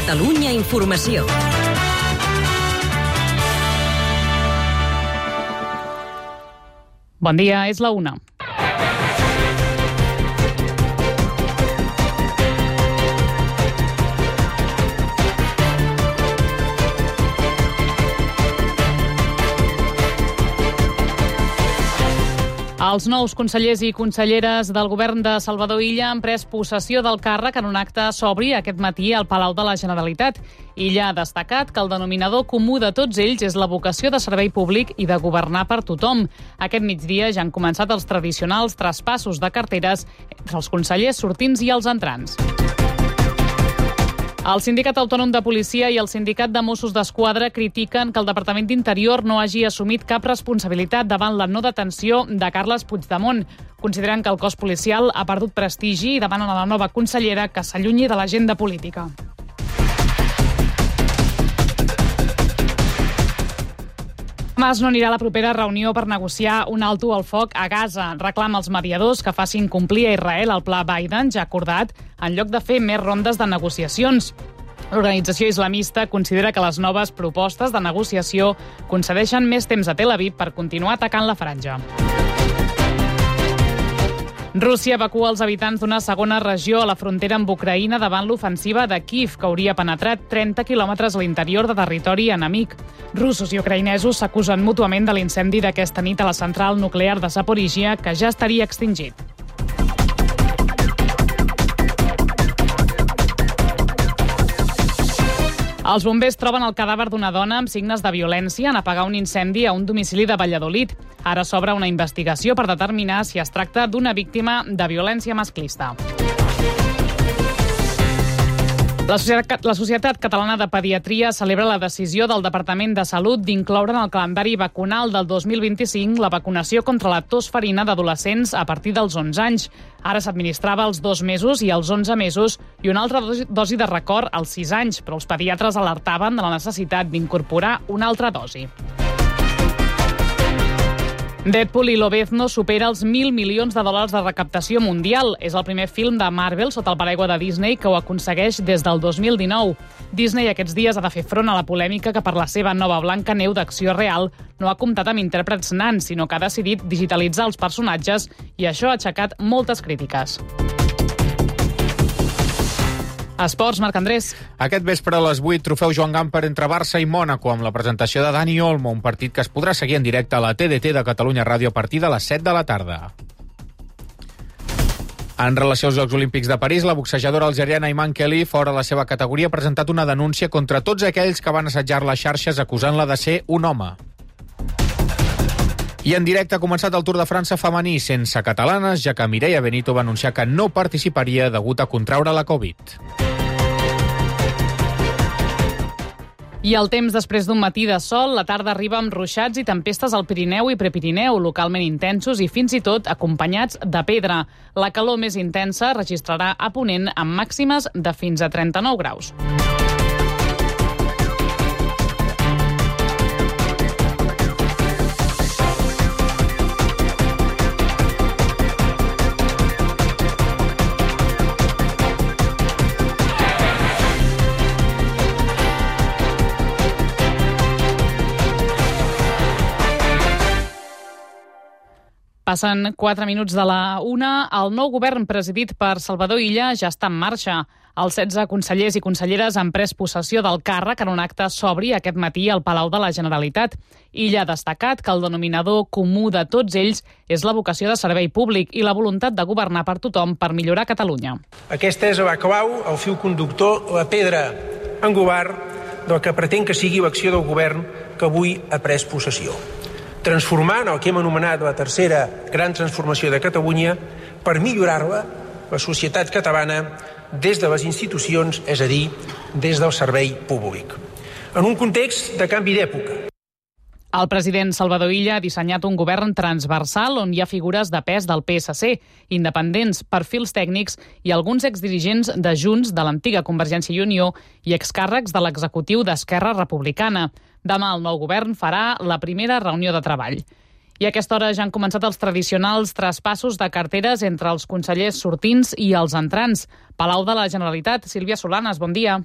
Catalunya Informació. Bon dia, és la 1. Els nous consellers i conselleres del govern de Salvador Illa han pres possessió del càrrec en un acte sobri aquest matí al Palau de la Generalitat. Illa ha destacat que el denominador comú de tots ells és la vocació de servei públic i de governar per tothom. Aquest migdia ja han començat els tradicionals traspassos de carteres entre els consellers sortints i els entrants. El Sindicat Autònom de Policia i el Sindicat de Mossos d'Esquadra critiquen que el Departament d'Interior no hagi assumit cap responsabilitat davant la no detenció de Carles Puigdemont. Consideren que el cos policial ha perdut prestigi i demanen a la nova consellera que s'allunyi de l'agenda política. Mas no anirà a la propera reunió per negociar un alto al foc a Gaza. Reclama als mediadors que facin complir a Israel el pla Biden ja acordat en lloc de fer més rondes de negociacions. L'organització islamista considera que les noves propostes de negociació concedeixen més temps a Tel Aviv per continuar atacant la franja. Rússia evacua els habitants d'una segona regió a la frontera amb Ucraïna davant l'ofensiva de Kíev, que hauria penetrat 30 quilòmetres a l'interior de territori enemic. Russos i ucraïnesos s'acusen mútuament de l'incendi d'aquesta nit a la central nuclear de Zaporíjia, que ja estaria extingit. Els bombers troben el cadàver d'una dona amb signes de violència en apagar un incendi a un domicili de Valladolid. Ara s'obre una investigació per determinar si es tracta d'una víctima de violència masclista. La Societat Catalana de Pediatria celebra la decisió del Departament de Salut d'incloure en el calendari vacunal del 2025 la vacunació contra la tos ferina d'adolescents a partir dels 11 anys. Ara s'administrava als 2 mesos i als 11 mesos i una altra dosi de record als 6 anys, però els pediatres alertaven de la necessitat d'incorporar una altra dosi. Deadpool i Lobezno supera els 1.000 milions de dòlars de recaptació mundial. És el primer film de Marvel sota el paraigua de Disney que ho aconsegueix des del 2019. Disney aquests dies ha de fer front a la polèmica que per la seva nova Blancaneu d'acció real no ha comptat amb intèrprets nans, sinó que ha decidit digitalitzar els personatges i això ha aixecat moltes crítiques. Esports, Marc Andrés. Aquest vespre a les 8, trofeu Joan Gamper entre Barça i Mònaco amb la presentació de Dani Olmo, un partit que es podrà seguir en directe a la TDT de Catalunya Ràdio a partir de les 7 de la tarda. En relació als Jocs Olímpics de París, la boxejadora algeriana Iman Kelly, fora la seva categoria, ha presentat una denúncia contra tots aquells que van assetjar les xarxes acusant-la de ser un home. I en directe ha començat el Tour de França femení sense catalanes, ja que Mireia Benito va anunciar que no participaria degut a contraure la Covid. I el temps després d'un matí de sol, la tarda arriba amb ruixats i tempestes al Pirineu i Prepirineu, localment intensos i fins i tot acompanyats de pedra. La calor més intensa registrarà a Ponent amb màximes de fins a 39 graus. Passen 4 minuts de la 1. El nou govern presidit per Salvador Illa ja està en marxa. Els 16 consellers i conselleres han pres possessió del càrrec en un acte sobri aquest matí al Palau de la Generalitat. Illa ha destacat que el denominador comú de tots ells és la vocació de servei públic i la voluntat de governar per tothom per millorar Catalunya. Aquesta és la clau, el fil conductor, la pedra angular del que pretén que sigui l'acció del govern que avui ha pres possessió. Transformant el que hem anomenat la tercera gran transformació de Catalunya per millorar-la, la societat catalana, des de les institucions, és a dir, des del servei públic. En un context de canvi d'època. El president Salvador Illa ha dissenyat un govern transversal on hi ha figures de pes del PSC, independents, perfils tècnics i alguns exdirigents de Junts, de l'antiga Convergència i Unió i excàrrecs de l'executiu d'Esquerra Republicana. Demà el nou govern farà la primera reunió de treball. I a aquesta hora ja han començat els tradicionals traspassos de carteres entre els consellers sortints i els entrants. Palau de la Generalitat, Sílvia Solanes, bon dia.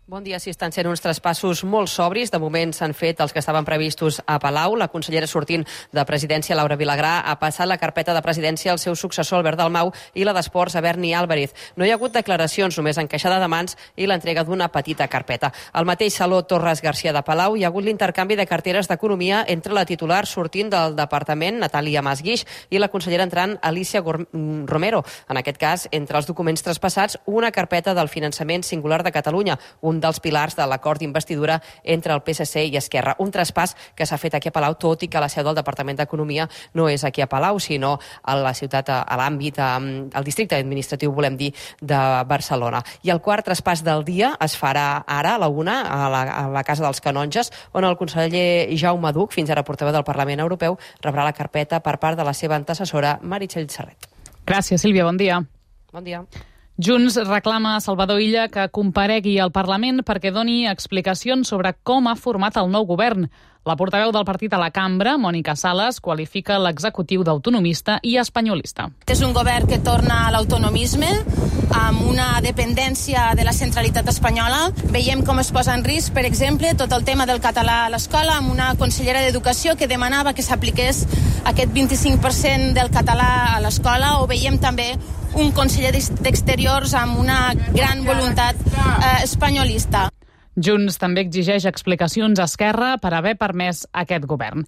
Bon dia. Sí, estan sent uns traspassos molt sobris. De moment s'han fet els que estaven previstos a Palau. La consellera sortint de Presidència, Laura Vilagrà, ha passat la carpeta de Presidència al seu successor, Albert Dalmau, i la d'Esports, a Berni Álvarez. No hi ha hagut declaracions, només encaixada de mans i l'entrega d'una petita carpeta. Al mateix Saló Torres Garcia de Palau hi ha hagut l'intercanvi de carteres d'Economia entre la titular sortint del departament, Natàlia Masguix, i la consellera entrant, Alicia Romero. En aquest cas, entre els documents traspassats, una carpeta del finançament singular de Catalunya, un dels pilars de l'acord d'investidura entre el PSC i Esquerra. Un traspàs que s'ha fet aquí a Palau, tot i que la seu del Departament d'Economia no és aquí a Palau, sinó a la ciutat, a l'àmbit, al districte administratiu, volem dir, de Barcelona. I el quart traspàs del dia es farà ara, a la 1, a la Casa dels Canonges, on el conseller Jaume Duch, fins ara portaveu del Parlament Europeu, rebrà la carpeta per part de la seva antecessora, Meritxell Serret. Gràcies, Sílvia. Bon dia. Bon dia. Junts reclama a Salvador Illa que comparegui al Parlament perquè doni explicacions sobre com ha format el nou govern. La portaveu del partit a la cambra, Mònica Sales, qualifica l'executiu d'autonomista i espanyolista. És un govern que torna a l'autonomisme, amb una dependència de la centralitat espanyola. Veiem com es posa en risc, per exemple, tot el tema del català a l'escola, amb una consellera d'Educació que demanava que s'apliqués aquest 25% del català a l'escola, o veiem també un conseller d'Exteriors amb una gran voluntat espanyolista. Junts també exigeix explicacions a Esquerra per haver permès aquest govern.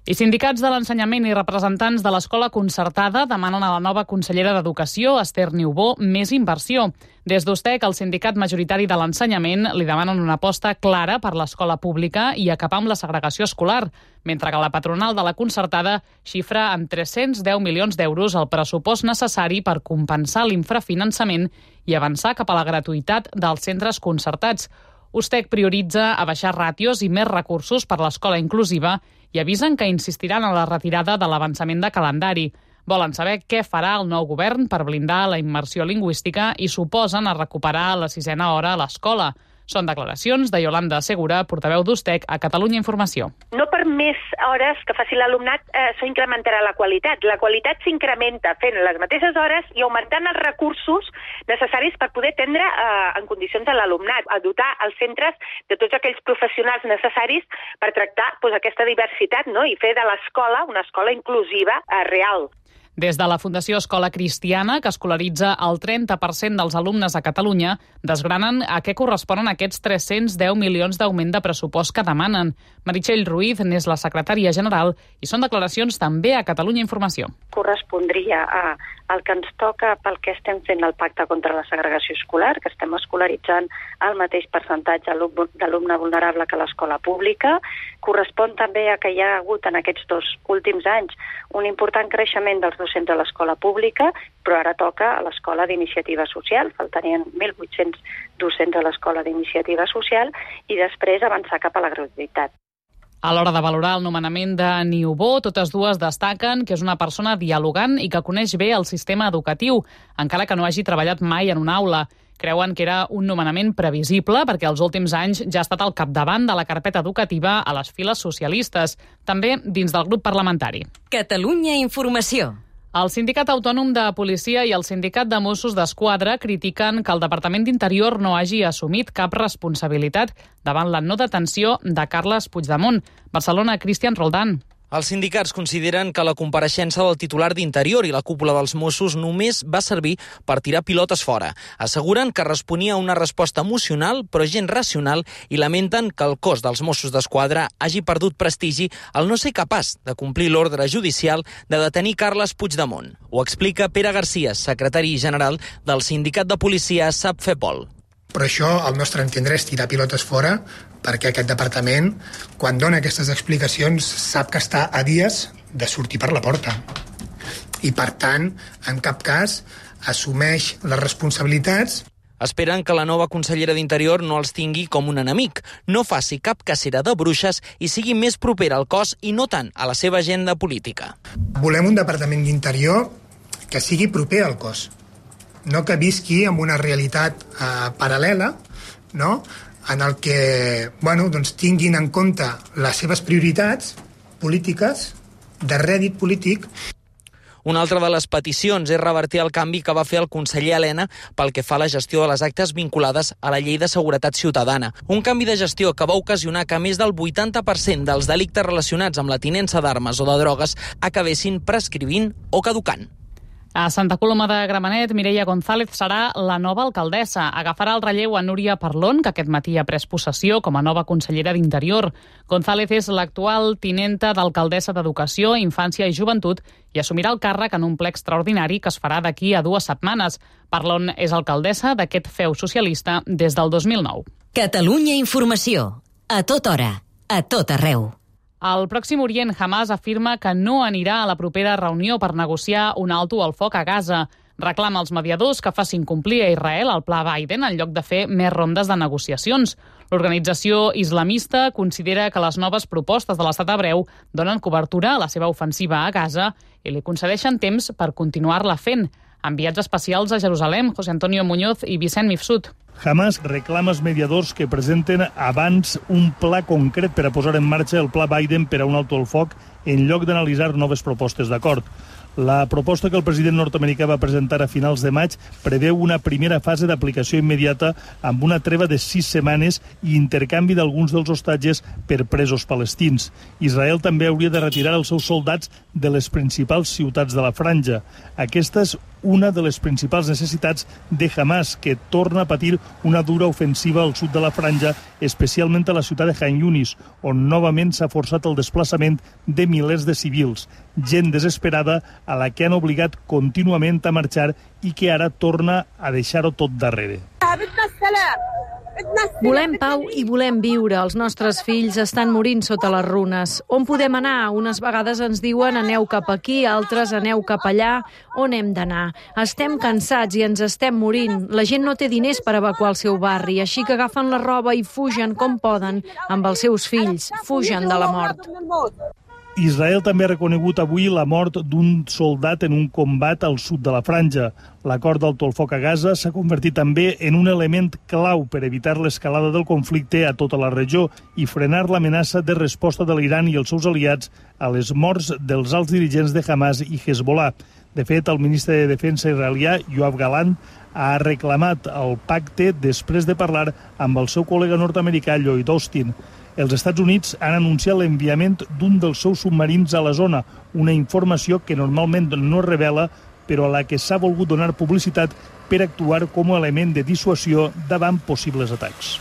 I sindicats de l'ensenyament i representants de l'escola concertada demanen a la nova consellera d'Educació, Esther Niubó, més inversió. Des d'USTEC, el sindicat majoritari de l'ensenyament, li demanen una aposta clara per l'escola pública i acabar amb la segregació escolar, mentre que la patronal de la concertada xifra en 310 milions d'euros el pressupost necessari per compensar l'infrafinançament i avançar cap a la gratuïtat dels centres concertats. USTEC prioritza abaixar ràtios i més recursos per l'escola inclusiva i avisen que insistiran en la retirada de l'avançament de calendari. Volen saber què farà el nou govern per blindar la immersió lingüística i s'oposen a recuperar la 6a hora a l'escola. Són declaracions de Yolanda Segura, portaveu d'USTEC a Catalunya Informació. No per més hores que faci l'alumnat s'incrementarà la qualitat. La qualitat s'incrementa fent les mateixes hores i augmentant els recursos necessaris per poder atendre en condicions a l'alumnat, a dotar els centres de tots aquells professionals necessaris per tractar aquesta diversitat, no? I fer de l'escola una escola inclusiva real. Des de la Fundació Escola Cristiana, que escolaritza el 30% dels alumnes a Catalunya, desgranen a què corresponen aquests 310 milions d'augment de pressupost que demanen. Meritxell Ruiz n'és la secretària general i són declaracions també a Catalunya Informació. Correspondria al que ens toca pel que estem fent el pacte contra la segregació escolar, que estem escolaritzant el mateix percentatge d'alumne vulnerable que l'escola pública. Correspon també a que hi ha hagut en aquests 2 últims anys un important creixement dels docents a l'escola pública, però ara toca a l'escola d'iniciativa social. Faltarien 1.800 docents a l'escola d'iniciativa social i després avançar cap a la gratuïtat. A l'hora de valorar el nomenament de Niubó, totes dues destaquen que és una persona dialogant i que coneix bé el sistema educatiu, encara que no hagi treballat mai en una aula. Creuen que era un nomenament previsible perquè els últims anys ja ha estat al capdavant de la carpeta educativa a les files socialistes, també dins del grup parlamentari. Catalunya Informació. El Sindicat Autònom de Policia i el Sindicat de Mossos d'Esquadra critiquen que el Departament d'Interior no hagi assumit cap responsabilitat davant la no detenció de Carles Puigdemont. Barcelona, Cristian Roldán. Els sindicats consideren que la compareixença del titular d'Interior i la cúpula dels Mossos només va servir per tirar pilotes fora. Asseguren que responia a una resposta emocional, però gens racional, i lamenten que el cos dels Mossos d'Esquadra hagi perdut prestigi al no ser capaç de complir l'ordre judicial de detenir Carles Puigdemont. Ho explica Pere Garcia, secretari general del Sindicat de Policia SAPFEPOL. Però això, al nostre entendre, és tirar pilotes fora, perquè aquest departament, quan dona aquestes explicacions, sap que està a dies de sortir per la porta. I, per tant, en cap cas assumeix les responsabilitats. Esperen que la nova consellera d'Interior no els tingui com un enemic, no faci cap cacera de bruixes i sigui més propera al cos i no tant a la seva agenda política. Volem un departament d'Interior que sigui proper al cos, no que visqui amb una realitat paral·lela, no? En el que tinguin en compte les seves prioritats polítiques de rèdit polític. Una altra de les peticions és revertir el canvi que va fer el conseller Elena pel que fa a la gestió de les actes vinculades a la Llei de Seguretat Ciutadana. Un canvi de gestió que va ocasionar que més del 80% dels delictes relacionats amb la tinença d'armes o de drogues acabessin prescrivint o caducant. A Santa Coloma de Gramenet, Mireia González serà la nova alcaldessa. Agafarà el relleu a Núria Parlon, que aquest matí ha pres possessió com a nova consellera d'Interior. González és l'actual tinenta d'alcaldessa d'Educació, Infància i Joventut i assumirà el càrrec en un ple extraordinari que es farà d'aquí a 2 setmanes. Parlon és alcaldessa d'aquest feu socialista des del 2009. Catalunya Informació. A tota hora, a tot arreu. Al Pròxim Orient, Hamas afirma que no anirà a la propera reunió per negociar un alto al foc a Gaza. Reclama als mediadors que facin complir a Israel el pla Biden en lloc de fer més rondes de negociacions. L'organització islamista considera que les noves propostes de l'estat hebreu donen cobertura a la seva ofensiva a Gaza i li concedeixen temps per continuar-la fent. Enviats especials a Jerusalem, José Antonio Muñoz i Vicent Mifsud. Hamas reclama als mediadors que presenten abans un pla concret per a posar en marxa el pla Biden per a un alto al foc en lloc d'analitzar noves propostes d'acord. La proposta que el president nord-americà va presentar a finals de maig preveu una primera fase d'aplicació immediata amb una treva de 6 setmanes i intercanvi d'alguns dels hostatges per presos palestins. Israel també hauria de retirar els seus soldats de les principals ciutats de la franja. Aquesta és una de les principals necessitats de Hamas, que torna a patir una dura ofensiva al sud de la franja, especialment a la ciutat de Khan Yunis, on novament s'ha forçat el desplaçament de milers de civils, gent desesperada a la que han obligat contínuament a marxar i que ara torna a deixar-ho tot darrere. Volem pau i volem viure. Els nostres fills estan morint sota les runes. On podem anar? Unes vegades ens diuen aneu cap aquí, altres aneu cap allà. On hem d'anar? Estem cansats i ens estem morint. La gent no té diners per evacuar el seu barri, així que agafen la roba i fugen com poden amb els seus fills. Fugen de la mort. Israel també ha reconegut avui la mort d'un soldat en un combat al sud de la franja. L'acord d'alto al foc a Gaza s'ha convertit també en un element clau per evitar l'escalada del conflicte a tota la regió i frenar l'amenaça de resposta de l'Iran i els seus aliats a les morts dels alts dirigents de Hamas i Hezbollah. De fet, el ministre de Defensa israelià, Yoav Gallant, ha reclamat el pacte després de parlar amb el seu col·lega nord-americà, Lloyd Austin. Els Estats Units han anunciat l'enviament d'un dels seus submarins a la zona, una informació que normalment no es revela, però a la que s'ha volgut donar publicitat per actuar com a element de dissuasió davant possibles atacs.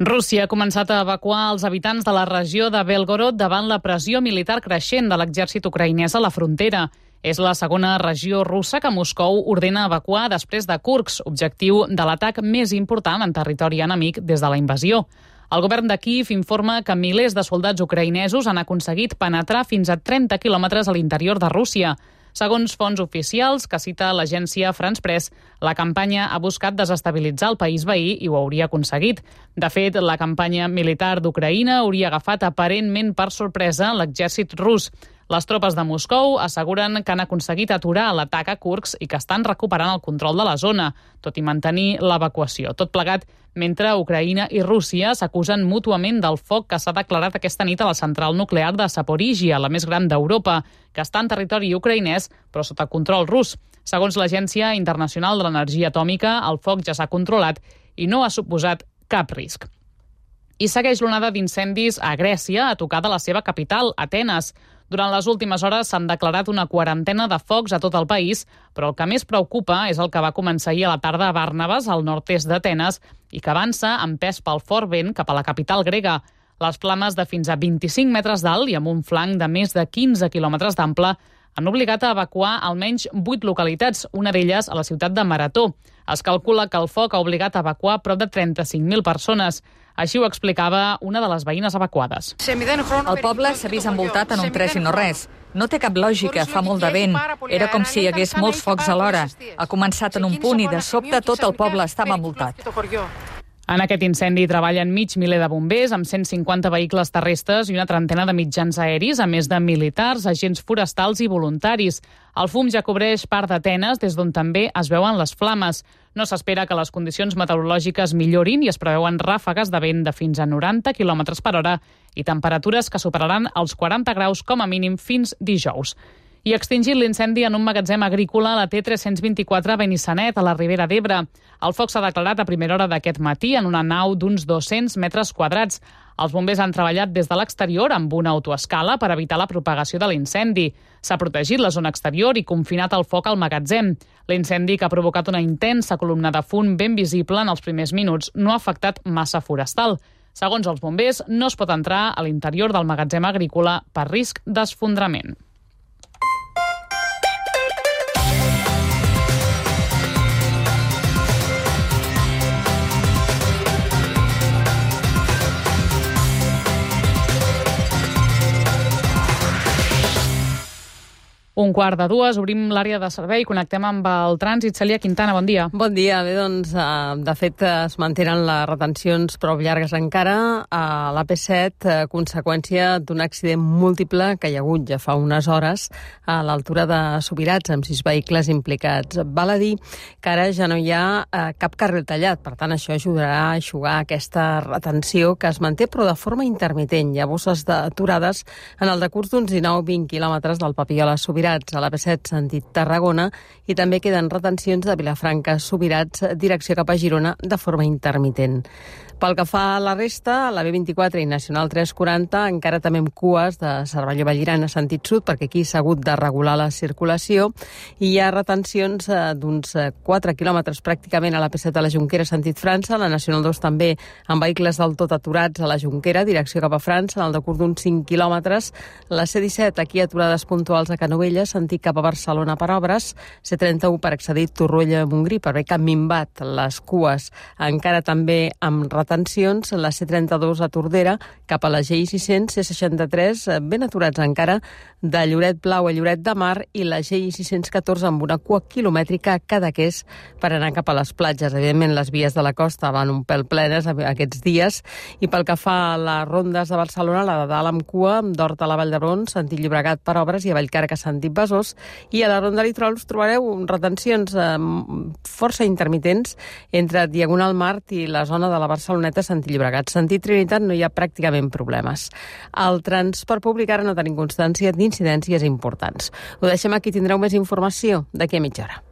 Rússia ha començat a evacuar els habitants de la regió de Belgorod davant la pressió militar creixent de l'exèrcit ucraïnès a la frontera. És la segona regió russa que Moscou ordena evacuar després de Kursk, objectiu de l'atac més important en territori enemic des de la invasió. El govern de Kíev informa que milers de soldats ucraïnesos han aconseguit penetrar fins a 30 quilòmetres a l'interior de Rússia. Segons fonts oficials que cita l'agència France Press, la campanya ha buscat desestabilitzar el país veí i ho hauria aconseguit. De fet, la campanya militar d'Ucraïna hauria agafat aparentment per sorpresa l'exèrcit rus. Les tropes de Moscou asseguren que han aconseguit aturar l'atac a Kursk i que estan recuperant el control de la zona, tot i mantenir l'evacuació. Tot plegat mentre Ucraïna i Rússia s'acusen mútuament del foc que s'ha declarat aquesta nit a la central nuclear de Zaporizhia, la més gran d'Europa, que està en territori ucraïnès però sota control rus. Segons l'Agència Internacional de l'Energia Atòmica, el foc ja s'ha controlat i no ha suposat cap risc. I segueix l'onada d'incendis a Grècia, a tocar de la seva capital, Atenes. Durant les últimes hores s'han declarat una quarantena de focs a tot el país, però el que més preocupa és el que va començar ahir a la tarda a Bàrnabas, al nord-est d'Atenes, i que avança empès pel fort vent cap a la capital grega. Les flames de fins a 25 metres d'alt i amb un flanc de més de 15 quilòmetres d'ample han obligat a evacuar almenys 8 localitats, una d'elles a la ciutat de Marató. Es calcula que el foc ha obligat a evacuar prop de 35.000 persones. Així ho explicava una de les veïnes evacuades. El poble s'ha vist envoltat en un tres i no res. No té cap lògica, fa molt de vent. Era com si hi hagués molts focs alhora. Ha començat en un punt i de sobte tot el poble estava envoltat. En aquest incendi treballen mig miler de bombers amb 150 vehicles terrestres i una trentena de mitjans aeris, a més de militars, agents forestals i voluntaris. El fum ja cobreix part d'Atenes, des d'on també es veuen les flames. No s'espera que les condicions meteorològiques millorin i es preveuen ràfegues de vent de fins a 90 km per hora i temperatures que superaran els 40 graus com a mínim fins dijous. I extingit l'incendi en un magatzem agrícola a la T324 a Benissanet, a la Ribera d'Ebre. El foc s'ha declarat a primera hora d'aquest matí en una nau d'uns 200 metres quadrats. Els bombers han treballat des de l'exterior amb una autoescala per evitar la propagació de l'incendi. S'ha protegit la zona exterior i confinat el foc al magatzem. L'incendi, que ha provocat una intensa columna de fum ben visible en els primers minuts, no ha afectat massa forestal. Segons els bombers, no es pot entrar a l'interior del magatzem agrícola per risc d'esfondrament. Un quart de dues, obrim l'àrea de servei, connectem amb el trànsit. Cèlia Quintana, bon dia. Bon dia. Bé, doncs, de fet, es mantenen les retencions prou llargues encara a l'AP7, conseqüència d'un accident múltiple que hi ha hagut ja fa unes hores a l'altura de Subirats, amb 6 vehicles implicats. Val a dir que ara ja no hi ha cap carril tallat, per tant, això ajudarà a eixugar aquesta retenció que es manté, però de forma intermitent. Hi ha bosses d'aturades en el decurs d'uns 19-20 quilòmetres del Papiol a Subirats, a l'AP7 sentit Tarragona, i també queden retencions de Vilafranca a Subirats, direcció cap a Girona, de forma intermitent. Pel que fa a la resta, la B24 i Nacional 340 encara també amb cues de Cervelló-Vallirana sentit sud, perquè aquí s'ha hagut de regular la circulació, i hi ha retencions d'uns 4 quilòmetres pràcticament a la P7 a la Jonquera sentit França, la Nacional 2 també amb vehicles del tot aturats a la Jonquera, direcció cap a França, en el decurs d'uns 5 quilòmetres, la C17 aquí aturades puntuals a Canovelles, sentit cap a Barcelona per obres, C31 per accedir a Torroella-Montgrí, per bé que han minvat les cues encara també amb retencions, la C32 a Tordera, cap a la GI600, C63, ben aturats encara, de Lloret Blau a Lloret de Mar, i la GI614 amb una cua quilomètrica a Cadaqués per anar cap a les platges. Evidentment, les vies de la costa van un pèl plenes aquests dies, i pel que fa a les rondes de Barcelona, la de dalt amb cua, amb d'Hort a la Vall d'Hebron, sentit Llobregat per obres, i a Vallcarca sentit Besòs, i a la ronda litoral us trobareu retencions força intermitents entre Diagonal Mart i la zona de la Barceloneta sentit Llobregat. Sentit Trinitat no hi ha pràcticament problemes. Al transport públic ara no tenim constància d'incidències importants. Ho deixem aquí, tindreu més informació d'aquí a mitja hora.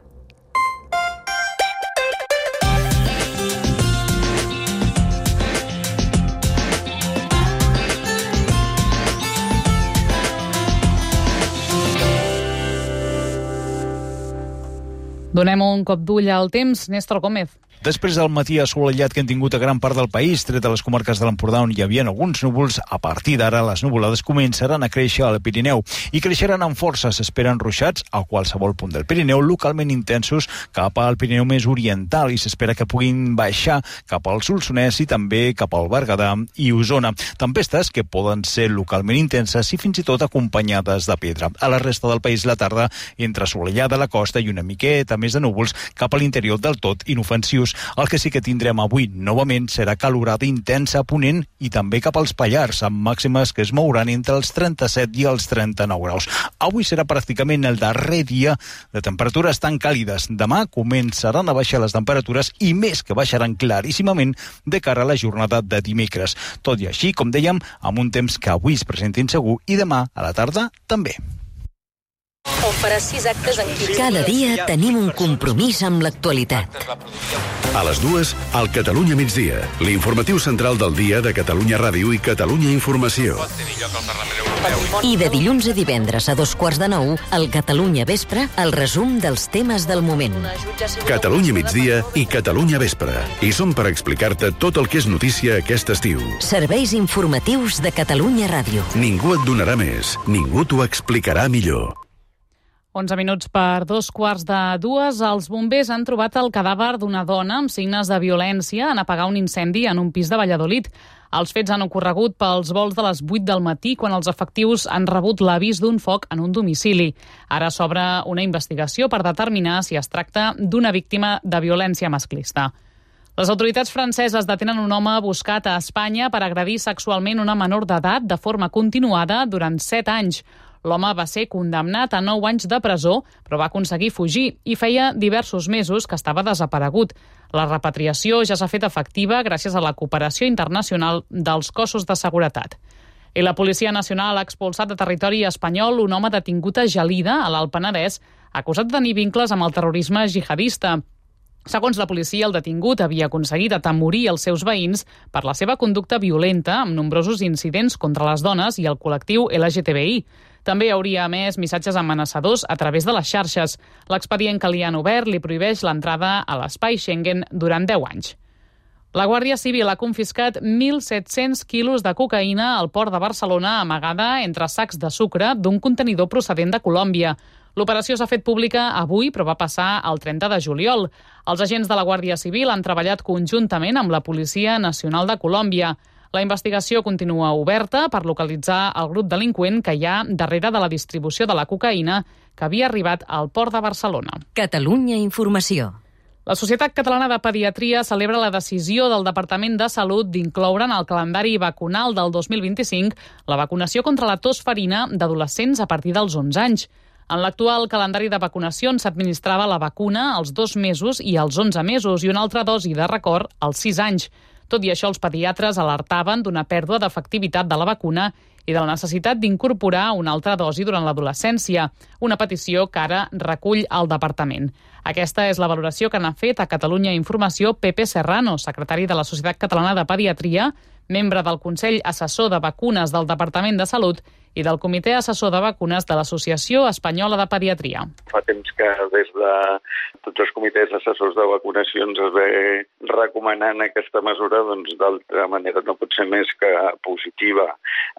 Donem un cop d'ull al temps. Néstor Gómez. Després del matí assolellat que hem tingut a gran part del país, tret de les comarques de l'Empordà on hi havia alguns núvols, a partir d'ara les nuvolades començaran a créixer al Pirineu i creixeran amb força. S'esperen ruixats a qualsevol punt del Pirineu, localment intensos cap al Pirineu més oriental, i s'espera que puguin baixar cap al Solsonès i també cap al Berguedà i Osona. Tempestes que poden ser localment intenses i fins i tot acompanyades de pedra. A la resta del país la tarda entre assolellada a la costa i una miqueta més de núvols cap a l'interior del tot inofensius. El que sí que tindrem avui novament serà calorada intensa a Ponent i també cap als Pallars, amb màximes que es mouran entre els 37 i els 39 graus. Avui serà pràcticament el darrer dia de temperatures tan càlides. Demà començaran a baixar les temperatures i més que baixaran claríssimament de cara a la jornada de dimecres. Tot i així, com dèiem, amb un temps que avui es presenta insegur i demà a la tarda també. On faràs 6 actes en 15 Cada dia tenim un compromís amb l'actualitat. A les 2, al Catalunya migdia, l'informatiu central del dia de Catalunya Ràdio i Catalunya Informació. I de dilluns a divendres a 8:45, al Catalunya Vespre, el resum dels temes del moment. Catalunya migdia i Catalunya Vespre. I som per explicar-te tot el que és notícia aquest estiu. Serveis informatius de Catalunya Ràdio. Ningú et donarà més, ningú t'ho explicarà millor. 11 minuts per 2:45. Els bombers han trobat el cadàver d'una dona amb signes de violència en apagar un incendi en un pis de Valladolid. Els fets han ocorregut pels volts de les 8 del matí, quan els efectius han rebut l'avís d'un foc en un domicili. Ara s'obre una investigació per determinar si es tracta d'una víctima de violència masclista. Les autoritats franceses detenen un home buscat a Espanya per agredir sexualment una menor d'edat de forma continuada durant 7 anys. L'home va ser condemnat a 9 anys de presó, però va aconseguir fugir i feia diversos mesos que estava desaparegut. La repatriació ja s'ha fet efectiva gràcies a la cooperació internacional dels cossos de seguretat. I la Policia Nacional ha expulsat de territori espanyol un home detingut a Gelida, a l'Alt Penedès, acusat de tenir vincles amb el terrorisme jihadista. Segons la policia, el detingut havia aconseguit atemorir els seus veïns per la seva conducta violenta, amb nombrosos incidents contra les dones i el col·lectiu LGTBI. També hauria emès missatges amenaçadors a través de les xarxes. L'expedient que li han obert li prohibeix l'entrada a l'espai Schengen durant 10 anys. La Guàrdia Civil ha confiscat 1.700 quilos de cocaïna al port de Barcelona amagada entre sacs de sucre d'un contenidor procedent de Colòmbia. L'operació s'ha fet pública avui, però va passar el 30 de juliol. Els agents de la Guàrdia Civil han treballat conjuntament amb la Policia Nacional de Colòmbia. La investigació continua oberta per localitzar el grup delinqüent que hi ha darrere de la distribució de la cocaïna que havia arribat al port de Barcelona. Catalunya Informació. La Societat Catalana de Pediatria celebra la decisió del Departament de Salut d'incloure en el calendari vacunal del 2025 la vacunació contra la tos ferina d'adolescents a partir dels 11 anys. En l'actual calendari de vacunacions s'administrava la vacuna als 2 mesos i als 11 mesos i una altra dosi de record als 6 anys. Tot i això, els pediatres alertaven d'una pèrdua d'efectivitat de la vacuna i de la necessitat d'incorporar una altra dosi durant l'adolescència, una petició que ara recull el departament. Aquesta és la valoració que n'ha fet a Catalunya Informació Pepe Serrano, secretari de la Societat Catalana de Pediatria, membre del Consell Assessor de Vacunes del Departament de Salut i del Comitè Assessor de Vacunes de l'Associació Espanyola de Pediatria. Fa temps que des de tots els comitès assessors de vacunacions es ve recomanant aquesta mesura, doncs d'altra manera no pot ser més que positiva.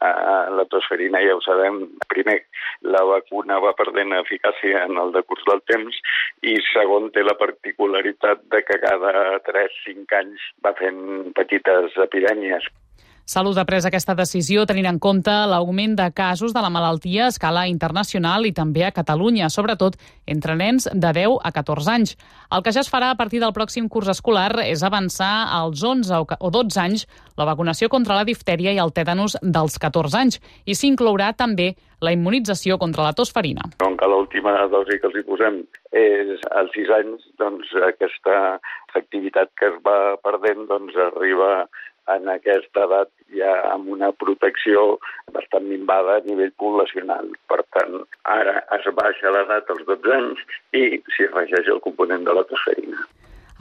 La tosferina ja ho sabem, primer, la vacuna va perdent eficàcia en el decurs del temps i segon, té la particularitat de que cada 3-5 anys va fent petites epidèmies. Salut ha pres aquesta decisió tenint en compte l'augment de casos de la malaltia a escala internacional i també a Catalunya, sobretot entre nens de 10 a 14 anys. El que ja es farà a partir del pròxim curs escolar és avançar als 11 o 12 anys la vacunació contra la diftèria i el tètanus dels 14 anys i s'inclourà també la immunització contra la tos ferina. Com que l'última dosi que els hi posem és als 6 anys, doncs aquesta efectivitat que es va perdent doncs arriba en aquesta edat ja amb una protecció bastant minvada a nivell poblacional. Per tant, ara es baixa l'edat als 12 anys i s'hi afegeix el component de la tosferina.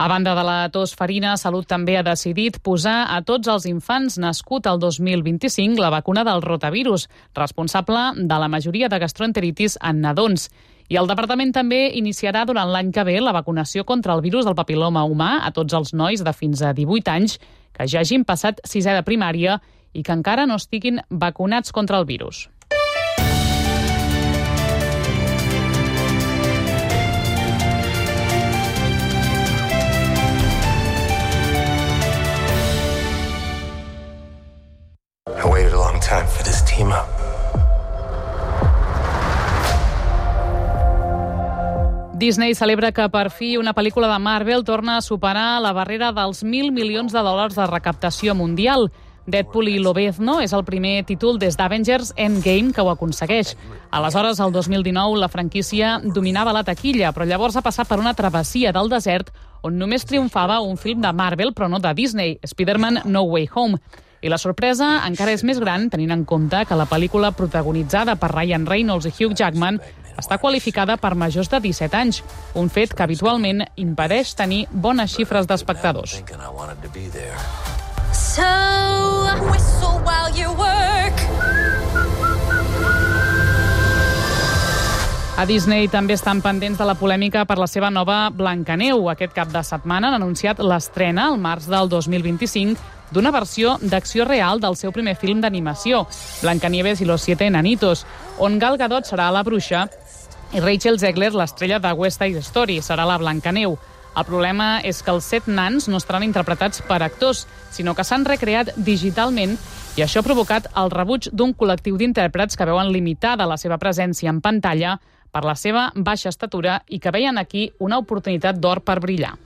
A banda de la tos ferina, Salut també ha decidit posar a tots els infants nascuts al 2025 la vacuna del rotavirus, responsable de la majoria de gastroenteritis en nadons. I el departament també iniciarà durant l'any que ve la vacunació contra el virus del papil·loma humà a tots els nois de fins a 18 anys que ja hagin passat 6è de primària i que encara no estiguin vacunats contra el virus. I waited a long time for this team up. Disney celebra que per fi una pel·lícula de Marvel torna a superar la barrera dels $1.000 milions de recaptació mundial. Deadpool i Lobezno és el primer títol des d'Avengers Endgame que ho aconsegueix. Aleshores, el 2019, la franquícia dominava la taquilla, però llavors ha passat per una travessia del desert on només triomfava un film de Marvel, però no de Disney, Spider-Man No Way Home. I la sorpresa encara és més gran tenint en compte que la pel·lícula protagonitzada per Ryan Reynolds i Hugh Jackman està qualificada per majors de 17 anys, un fet que habitualment impedeix tenir bones xifres d'espectadors. So, whistle while you work. A Disney també estan pendents de la polèmica per la seva nova Blancaneu. Aquest cap de setmana han anunciat l'estrena, al març del 2025, d'una versió d'acció real del seu primer film d'animació, Blancanieves y los 7 enanitos, on Gal Gadot serà la bruixa i Rachel Zegler, l'estrella de West Side Story, serà la Blancaneu. El problema és que els 7 nans no estaran interpretats per actors, sinó que s'han recreat digitalment i això ha provocat el rebuig d'un col·lectiu d'intèrprets que veuen limitada la seva presència en pantalla per la seva baixa estatura i que veien aquí una oportunitat d'or per brillar.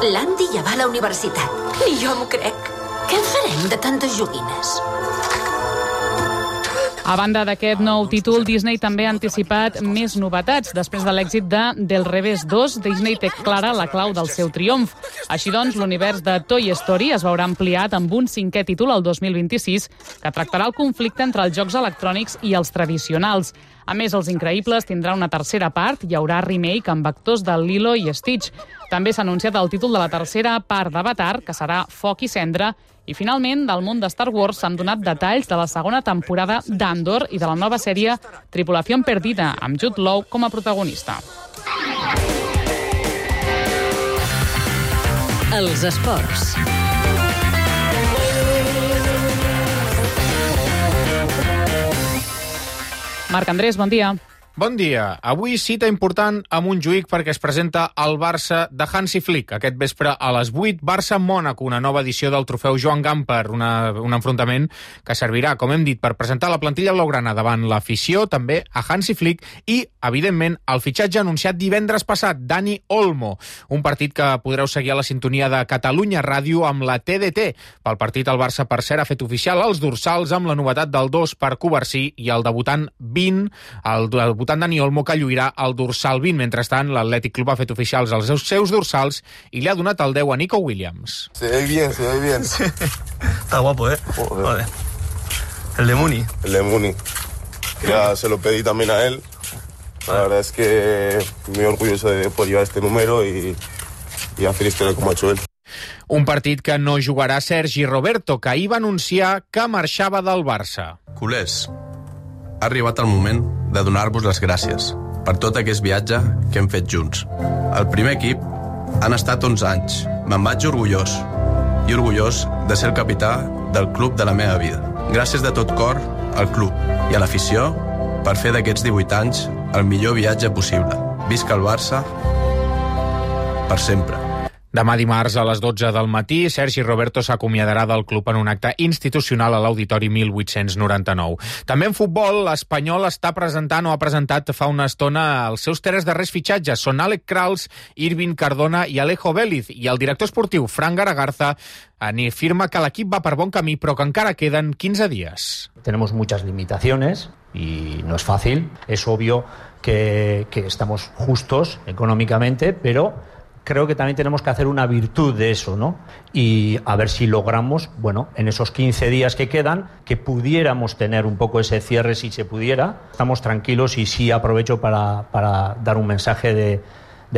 L'Andy ja va a la universitat. Ni jo m'ho crec. Què en farem de tantes joguines? A banda d'aquest nou títol, Disney també ha anticipat més novetats. Després de l'èxit de Del Revés 2, Disney té clara la clau del seu triomf. Així doncs, l'univers de Toy Story es veurà ampliat amb un 5è títol el 2026 que tractarà el conflicte entre els jocs electrònics i els tradicionals. A més, Els Increïbles tindrà una tercera part, hi haurà remake amb actors de Lilo i Stitch. També s'ha anunciat el títol de la tercera part d'Avatar, que serà Foc i Cendra, i finalment, del món de Star Wars s'han donat detalls de la segona temporada d'Andor i de la nova sèrie Tripulación Perdida, amb Jude Law com a protagonista. Els esports. Marc Andrés, bon dia. Bon dia. Avui cita important a Montjuïc perquè es presenta el Barça de Hansi Flick. Aquest vespre a les 8, Barça-Mònaco, una nova edició del trofeu Joan Gamper, un enfrontament que servirà, com hem dit, per presentar la plantilla blaugrana davant l'afició, també a Hansi Flick i, evidentment, el fitxatge anunciat divendres passat, Dani Olmo, un partit que podreu seguir a la sintonia de Catalunya Ràdio amb la TDT. Pel partit, el Barça, per cert, ha fet oficial els dorsals amb la novetat del 2 per Covarsí i el debutant 20, el debutant Dani Olmo, que lluirà el dorsal 20. Mentrestant, l'Atlètic Club ha fet oficials els seus dorsals i li ha donat el 10 a Nico Williams. Se ve bien. Está guapo, ¿eh? Joder. El de Muni. El de Muni. Ya se lo pedí también a él. La verdad es que muy orgulloso de poder llevar este número y a feliz tener como ha hecho él. Un partit que no jugarà Sergi Roberto, que ahir va anunciar que marxava del Barça. Culers, ha arribat el moment de donar-vos les gràcies per tot aquest viatge que hem fet junts. El primer equip han estat 11 anys. Me'n vaig orgullós de ser el capità del club de la meva vida. Gràcies de tot cor al club i a l'afició per fer d'aquests 18 anys el millor viatge possible. Visca el Barça per sempre. Demà dimarts a les 12 del matí, Sergi Roberto s'acomiadarà del club en un acte institucional a l'Auditori 1899. També en futbol, l'Espanyol està presentant o ha presentat fa una estona els seus 3 darrers fitxatges. Són Àlex Krals, Irving Cardona i Alejo Vélez. I el director esportiu, Fran Garagarza, afirma que l'equip va per bon camí, però que encara queden 15 dies. Tenemos muchas limitaciones y no es fácil. Es obvio que estamos justos económicamente, pero creo que también tenemos que hacer una virtud de eso, ¿no? Y a ver si logramos, bueno, en esos 15 días que quedan, que pudiéramos tener un poco ese cierre si se pudiera. Estamos tranquilos y sí aprovecho para dar un mensaje de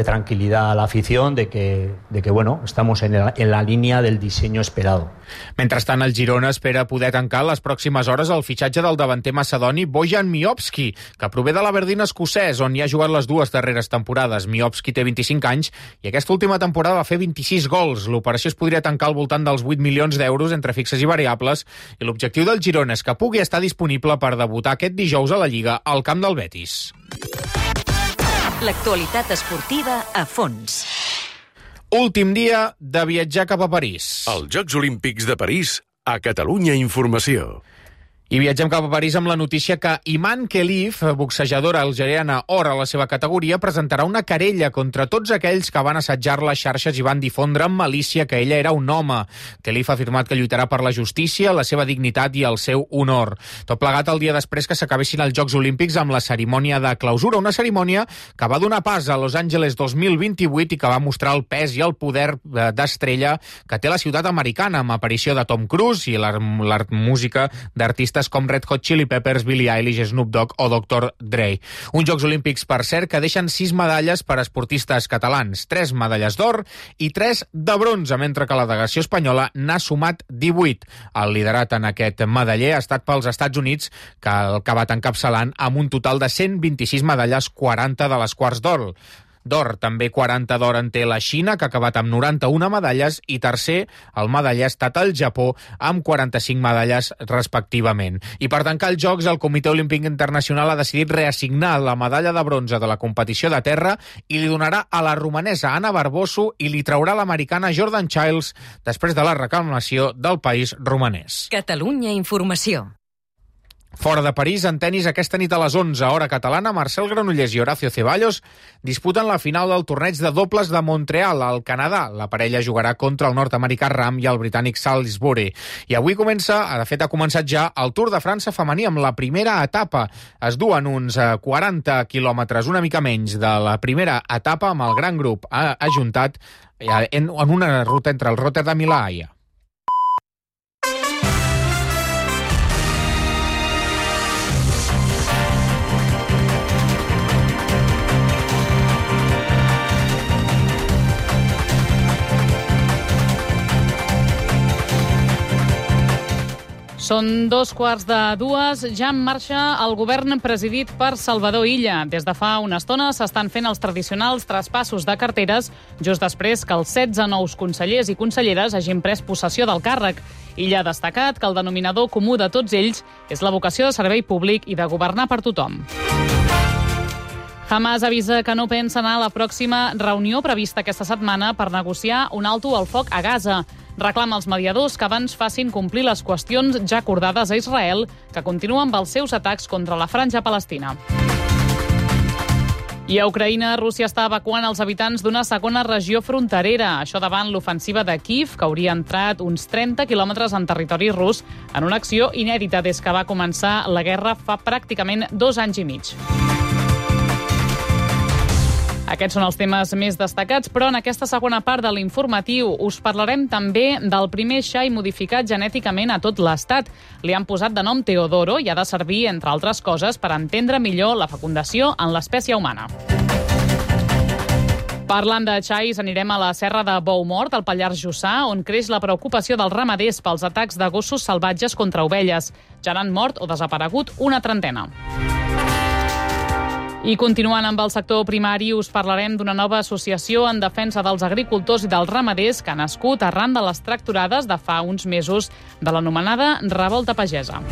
tranquilidad a la afición, de que bueno, estamos en la línia del disseny esperado. Mentrestant, el Girona espera poder tancar les pròximes hores el fitxatge del davanter macedoni Bojan Miovski, que prové de l'Aberdeen escocès, on hi ha jugat les 2 darreres temporades. Miovski té 25 anys i aquesta última temporada va fer 26 gols. L'operació es podria tancar al voltant dels 8 milions d'euros entre fixes i variables i l'objectiu del Girona és que pugui estar disponible per debutar aquest dijous a la Lliga al camp del Betis. L'actualitat esportiva a fons. Últim dia de viatjar cap a París. Els Jocs Olímpics de París a Catalunya Informació. I viatgem cap a París amb la notícia que Iman Khelif, boxejadora algeriana or a la seva categoria, presentarà una querella contra tots aquells que van assetjar les xarxes i van difondre amb malícia que ella era un home. Khelif ha afirmat que lluitarà per la justícia, la seva dignitat i el seu honor. Tot plegat el dia després que s'acabessin els Jocs Olímpics amb la cerimònia de clausura, una cerimònia que va donar pas a Los Angeles 2028 i que va mostrar el pes i el poder d'estrella que té la ciutat americana, amb aparició de Tom Cruise i la música d'artistes com Red Hot Chili Peppers, Billie Eilish, Snoop Dogg o Dr. Dre. Uns Jocs Olímpics, per cert, que deixen 6 medalles per a esportistes catalans, 3 medalles d'or i 3 de bronze, mentre que la delegació espanyola n'ha sumat 18. El liderat en aquest medaller ha estat pels Estats Units, que ha acabat encapçalant amb un total de 126 medalles, 40 de les quals d'or. També 40 d'or en té la Xina, que ha acabat amb 91 medalles, i tercer, el medaller ha estat el Japó, amb 45 medalles respectivament. I per tancar els Jocs, el Comitè Olímpic Internacional ha decidit reassignar la medalla de bronze de la competició de terra i li donarà a la romanesa Anna Barboso i li traurà l'americana Jordan Childs després de la reclamació del país romanès. Catalunya Informació. Fora de París, en tenis, aquesta nit a les 11, hora catalana, Marcel Granollers i Horacio Ceballos disputen la final del torneig de dobles de Montreal, al Canadà. La parella jugarà contra el nord-americà Ram i el britànic Salisbury. I avui ha començat ja el Tour de França femení amb la primera etapa. Es duen uns 40 quilòmetres, una mica menys, de la primera etapa amb el gran grup ajuntat en una ruta entre el Rotterdam i la Haia. Són 2:15, ja en marxa el govern presidit per Salvador Illa. Des de fa una estona s'estan fent els tradicionals traspassos de carteres just després que els 16 nous consellers i conselleres hagin pres possessió del càrrec. Illa ha destacat que el denominador comú de tots ells és la vocació de servei públic i de governar per tothom. Hamas avisa que no pensa anar a la pròxima reunió prevista aquesta setmana per negociar un alto al foc a Gaza. Reclama als mediadors que abans facin complir les qüestions ja acordades a Israel, que continua amb els seus atacs contra la franja palestina. I a Ucraïna, Rússia està evacuant els habitants d'una segona regió fronterera. Això davant l'ofensiva de Kyiv, que hauria entrat uns 30 quilòmetres en territori rus en una acció inèdita des que va començar la guerra fa pràcticament 2 anys i mig. Aquests són els temes més destacats, però en aquesta segona part de l'informatiu us parlarem també del primer xai modificat genèticament a tot l'Estat. Li han posat de nom Teodoro i ha de servir, entre altres coses, per entendre millor la fecundació en l'espècie humana. Parlant de xais, anirem a la serra de Boumort, al Pallars Jussà, on creix la preocupació dels ramaders pels atacs de gossos salvatges contra ovelles. Ja n'han mort o desaparegut una trentena. I continuant amb el sector primari, us parlarem d'una nova associació en defensa dels agricultors i dels ramaders que ha nascut arran de les tractorades de fa uns mesos de l'anomenada revolta pagesa.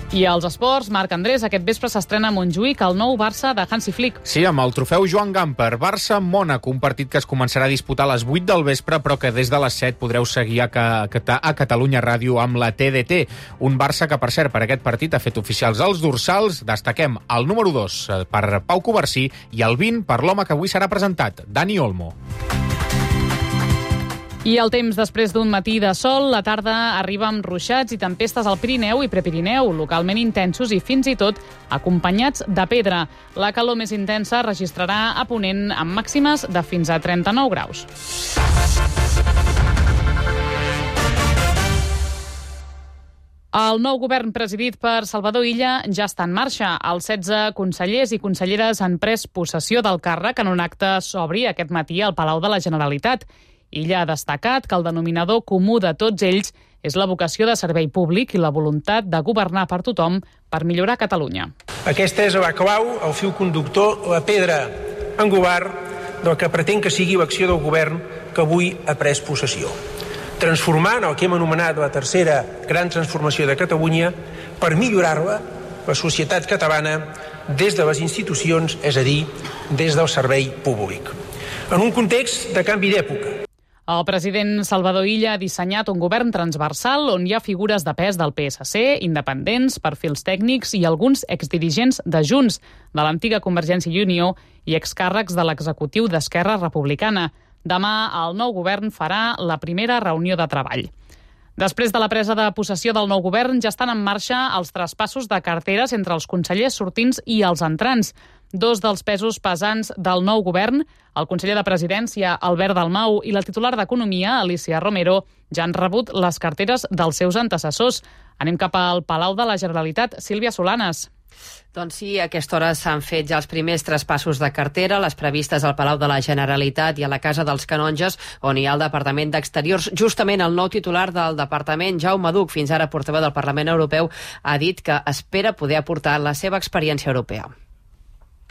I als esports, Marc Andrés, aquest vespre s'estrena a Montjuïc el nou Barça de Hansi Flick. Sí, amb el trofeu Joan Gamper. Barça-Mònaco, un partit que es començarà a disputar a les 8 del vespre, però que des de les 7 podreu seguir a Catalunya Ràdio amb la TDT. Un Barça que, per cert, per aquest partit ha fet oficials els dorsals. Destaquem el número 2 per Pau Covarsí i el 20 per l'home que avui serà presentat, Dani Olmo. I el temps després d'un matí de sol, la tarda arriba amb ruixats i tempestes al Pirineu i Prepirineu, localment intensos i fins i tot acompanyats de pedra. La calor més intensa registrarà a Ponent amb màximes de fins a 39 graus. El nou govern presidit per Salvador Illa ja està en marxa. Els 16 consellers i conselleres han pres possessió del càrrec en un acte sobri aquest matí al Palau de la Generalitat. Illa ha destacat que el denominador comú de tots ells és la vocació de servei públic i la voluntat de governar per tothom per millorar Catalunya. Aquesta és la clau, el fil conductor, la pedra angular del que pretén que sigui l'acció del govern que avui ha pres possessió. Transformant el que hem anomenat la tercera gran transformació de Catalunya per millorar-la, la societat catalana, des de les institucions, és a dir, des del servei públic. En un context de canvi d'època. El president Salvador Illa ha dissenyat un govern transversal on hi ha figures de pes del PSC, independents, perfils tècnics i alguns exdirigents de Junts, de l'antiga Convergència i Unió i excàrrecs de l'executiu d'Esquerra Republicana. Demà el nou govern farà la primera reunió de treball. Després de la presa de possessió del nou govern, ja estan en marxa els traspassos de carteres entre els consellers sortints i els entrants. Dos dels pesos pesants del nou govern, el conseller de Presidència, Albert Dalmau, i la titular d'Economia, Alicia Romero, ja han rebut les carteres dels seus antecessors. Anem cap al Palau de la Generalitat. Sílvia Solanes. Doncs sí, a aquesta hora s'han fet ja els primers traspassos de cartera, les previstes al Palau de la Generalitat i a la Casa dels Canonges, on hi ha el Departament d'Exteriors. Justament el nou titular del departament, Jaume Duch, fins ara portaveu del Parlament Europeu, ha dit que espera poder aportar la seva experiència europea.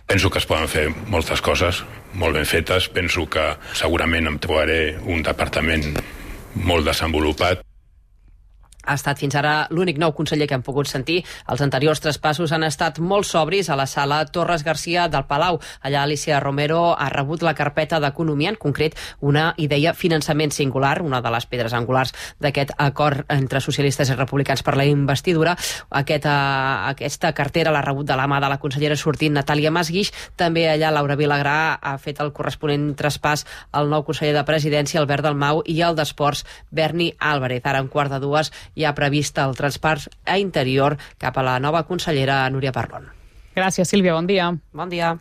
Penso que es poden fer moltes coses molt ben fetes. Penso que segurament em trobaré un departament molt desenvolupat. ha estat fins ara l'únic nou conseller que hem pogut sentir. Els anteriors traspassos han estat molt sobris a la sala Torres Garcia del Palau. Allà Alicia Romero ha rebut la carpeta d'Economia, en concret una idea finançament singular, una de les pedres angulars d'aquest acord entre socialistes i republicans per la investidura. Aquesta cartera l'ha rebut de la mà de la consellera sortint Natàlia Masguix. També allà Laura Vilagrà ha fet el corresponent traspàs al nou conseller de Presidència, Albert Dalmau, i el d'Esports, Berni Álvarez. Ara, en quart de dues, hi ha previst el traspàs a Interior cap a la nova consellera Núria Parlon. Gràcies, Sílvia. Bon dia. Bon dia.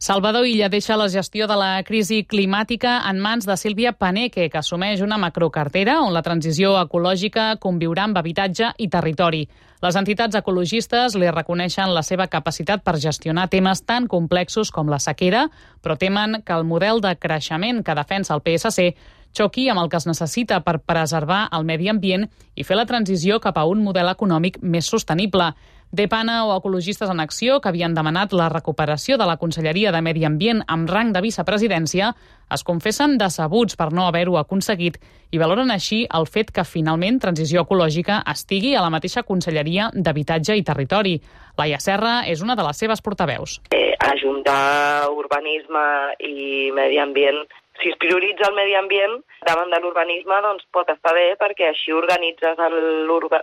Salvador Illa deixa la gestió de la crisi climàtica en mans de Sílvia Paneque, que assumeix una macrocartera on la transició ecològica conviurà amb habitatge i territori. Les entitats ecologistes li reconeixen la seva capacitat per gestionar temes tan complexos com la sequera, però temen que el model de creixement que defensa el PSC xoqui amb el que es necessita per preservar el medi ambient i fer la transició cap a un model econòmic més sostenible. Depana o Ecologistes en Acció, que havien demanat la recuperació de la Conselleria de Medi Ambient amb rang de vicepresidència, es confessen decebuts per no haver-ho aconseguit i valoren així el fet que finalment Transició Ecològica estigui a la mateixa Conselleria d'Habitatge i Territori. Laia Serra és una de les seves portaveus. Ajuntar urbanisme i medi ambient, si es prioritza el medi ambient davant de l'urbanisme, doncs pot estar bé, perquè així organitzes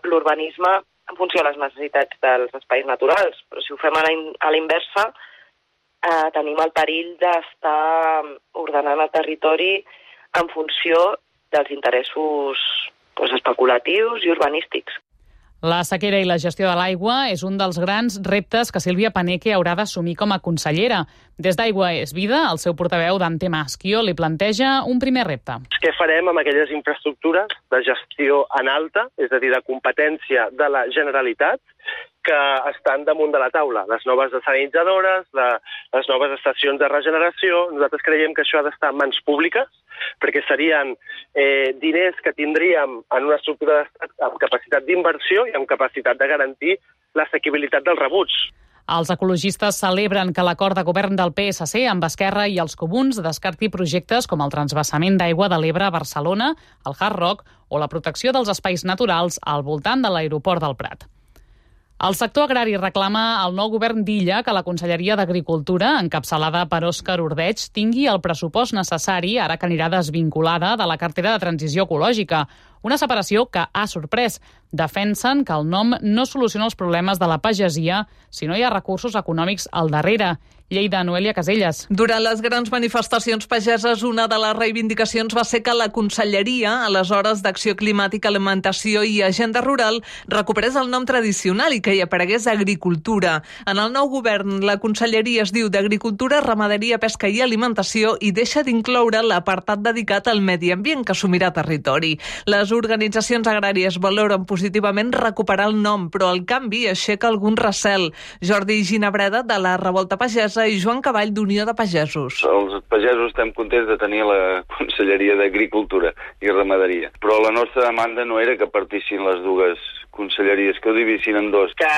l'urbanisme en funció de les necessitats dels espais naturals. Però si ho fem a la inversa, tenim el perill d'estar ordenant el territori en funció dels interessos especulatius i urbanístics. La sequera i la gestió de l'aigua és un dels grans reptes que Sílvia Paneque haurà d'assumir com a consellera. Des d'Aigua és Vida, el seu portaveu Dante Maschio li planteja un primer repte. Què farem amb aquelles infraestructures de gestió en alta, és a dir, de competència de la Generalitat, que estan damunt de la taula? Les noves desalinitzadores, les noves estacions de regeneració. Nosaltres creiem que això ha d'estar en mans públiques, perquè serien diners que tindríem en una estructura d'estat amb capacitat d'inversió i amb capacitat de garantir l'assequibilitat dels rebuts. Els ecologistes celebren que l'acord de govern del PSC amb Esquerra i els Comuns descarti projectes com el transvasament d'aigua de l'Ebre a Barcelona, el Hard Rock o la protecció dels espais naturals al voltant de l'aeroport del Prat. El sector agrari reclama al nou govern d'Illa que la Conselleria d'Agricultura, encapçalada per Òscar Ordeig, tingui el pressupost necessari, ara que anirà desvinculada de la cartera de transició ecològica. Una separació que ha sorprès. Defensen que el nom no soluciona els problemes de la pagesia si no hi ha recursos econòmics al darrere. Lleida, Noelia Caselles. Durant les grans manifestacions pageses, una de les reivindicacions va ser que la Conselleria, aleshores d'Acció Climàtica, Alimentació i Agenda Rural, recuperés el nom tradicional i que hi aparegués Agricultura. En el nou govern, la Conselleria es diu d'Agricultura, Ramaderia, Pesca i Alimentació i deixa d'incloure l'apartat dedicat al medi ambient que assumirà Territori. Les organitzacions agràries valoren positivament recuperar el nom, però el canvi aixeca algun recel. Jordi Ginabreda, de la Revolta Pagesa, i Joan Cavall, d'Unió de Pagesos. Els pagesos estem contents de tenir la Conselleria d'Agricultura i Ramaderia, però la nostra demanda no era que partissin les dues conselleries, que ho divissin en dos. Que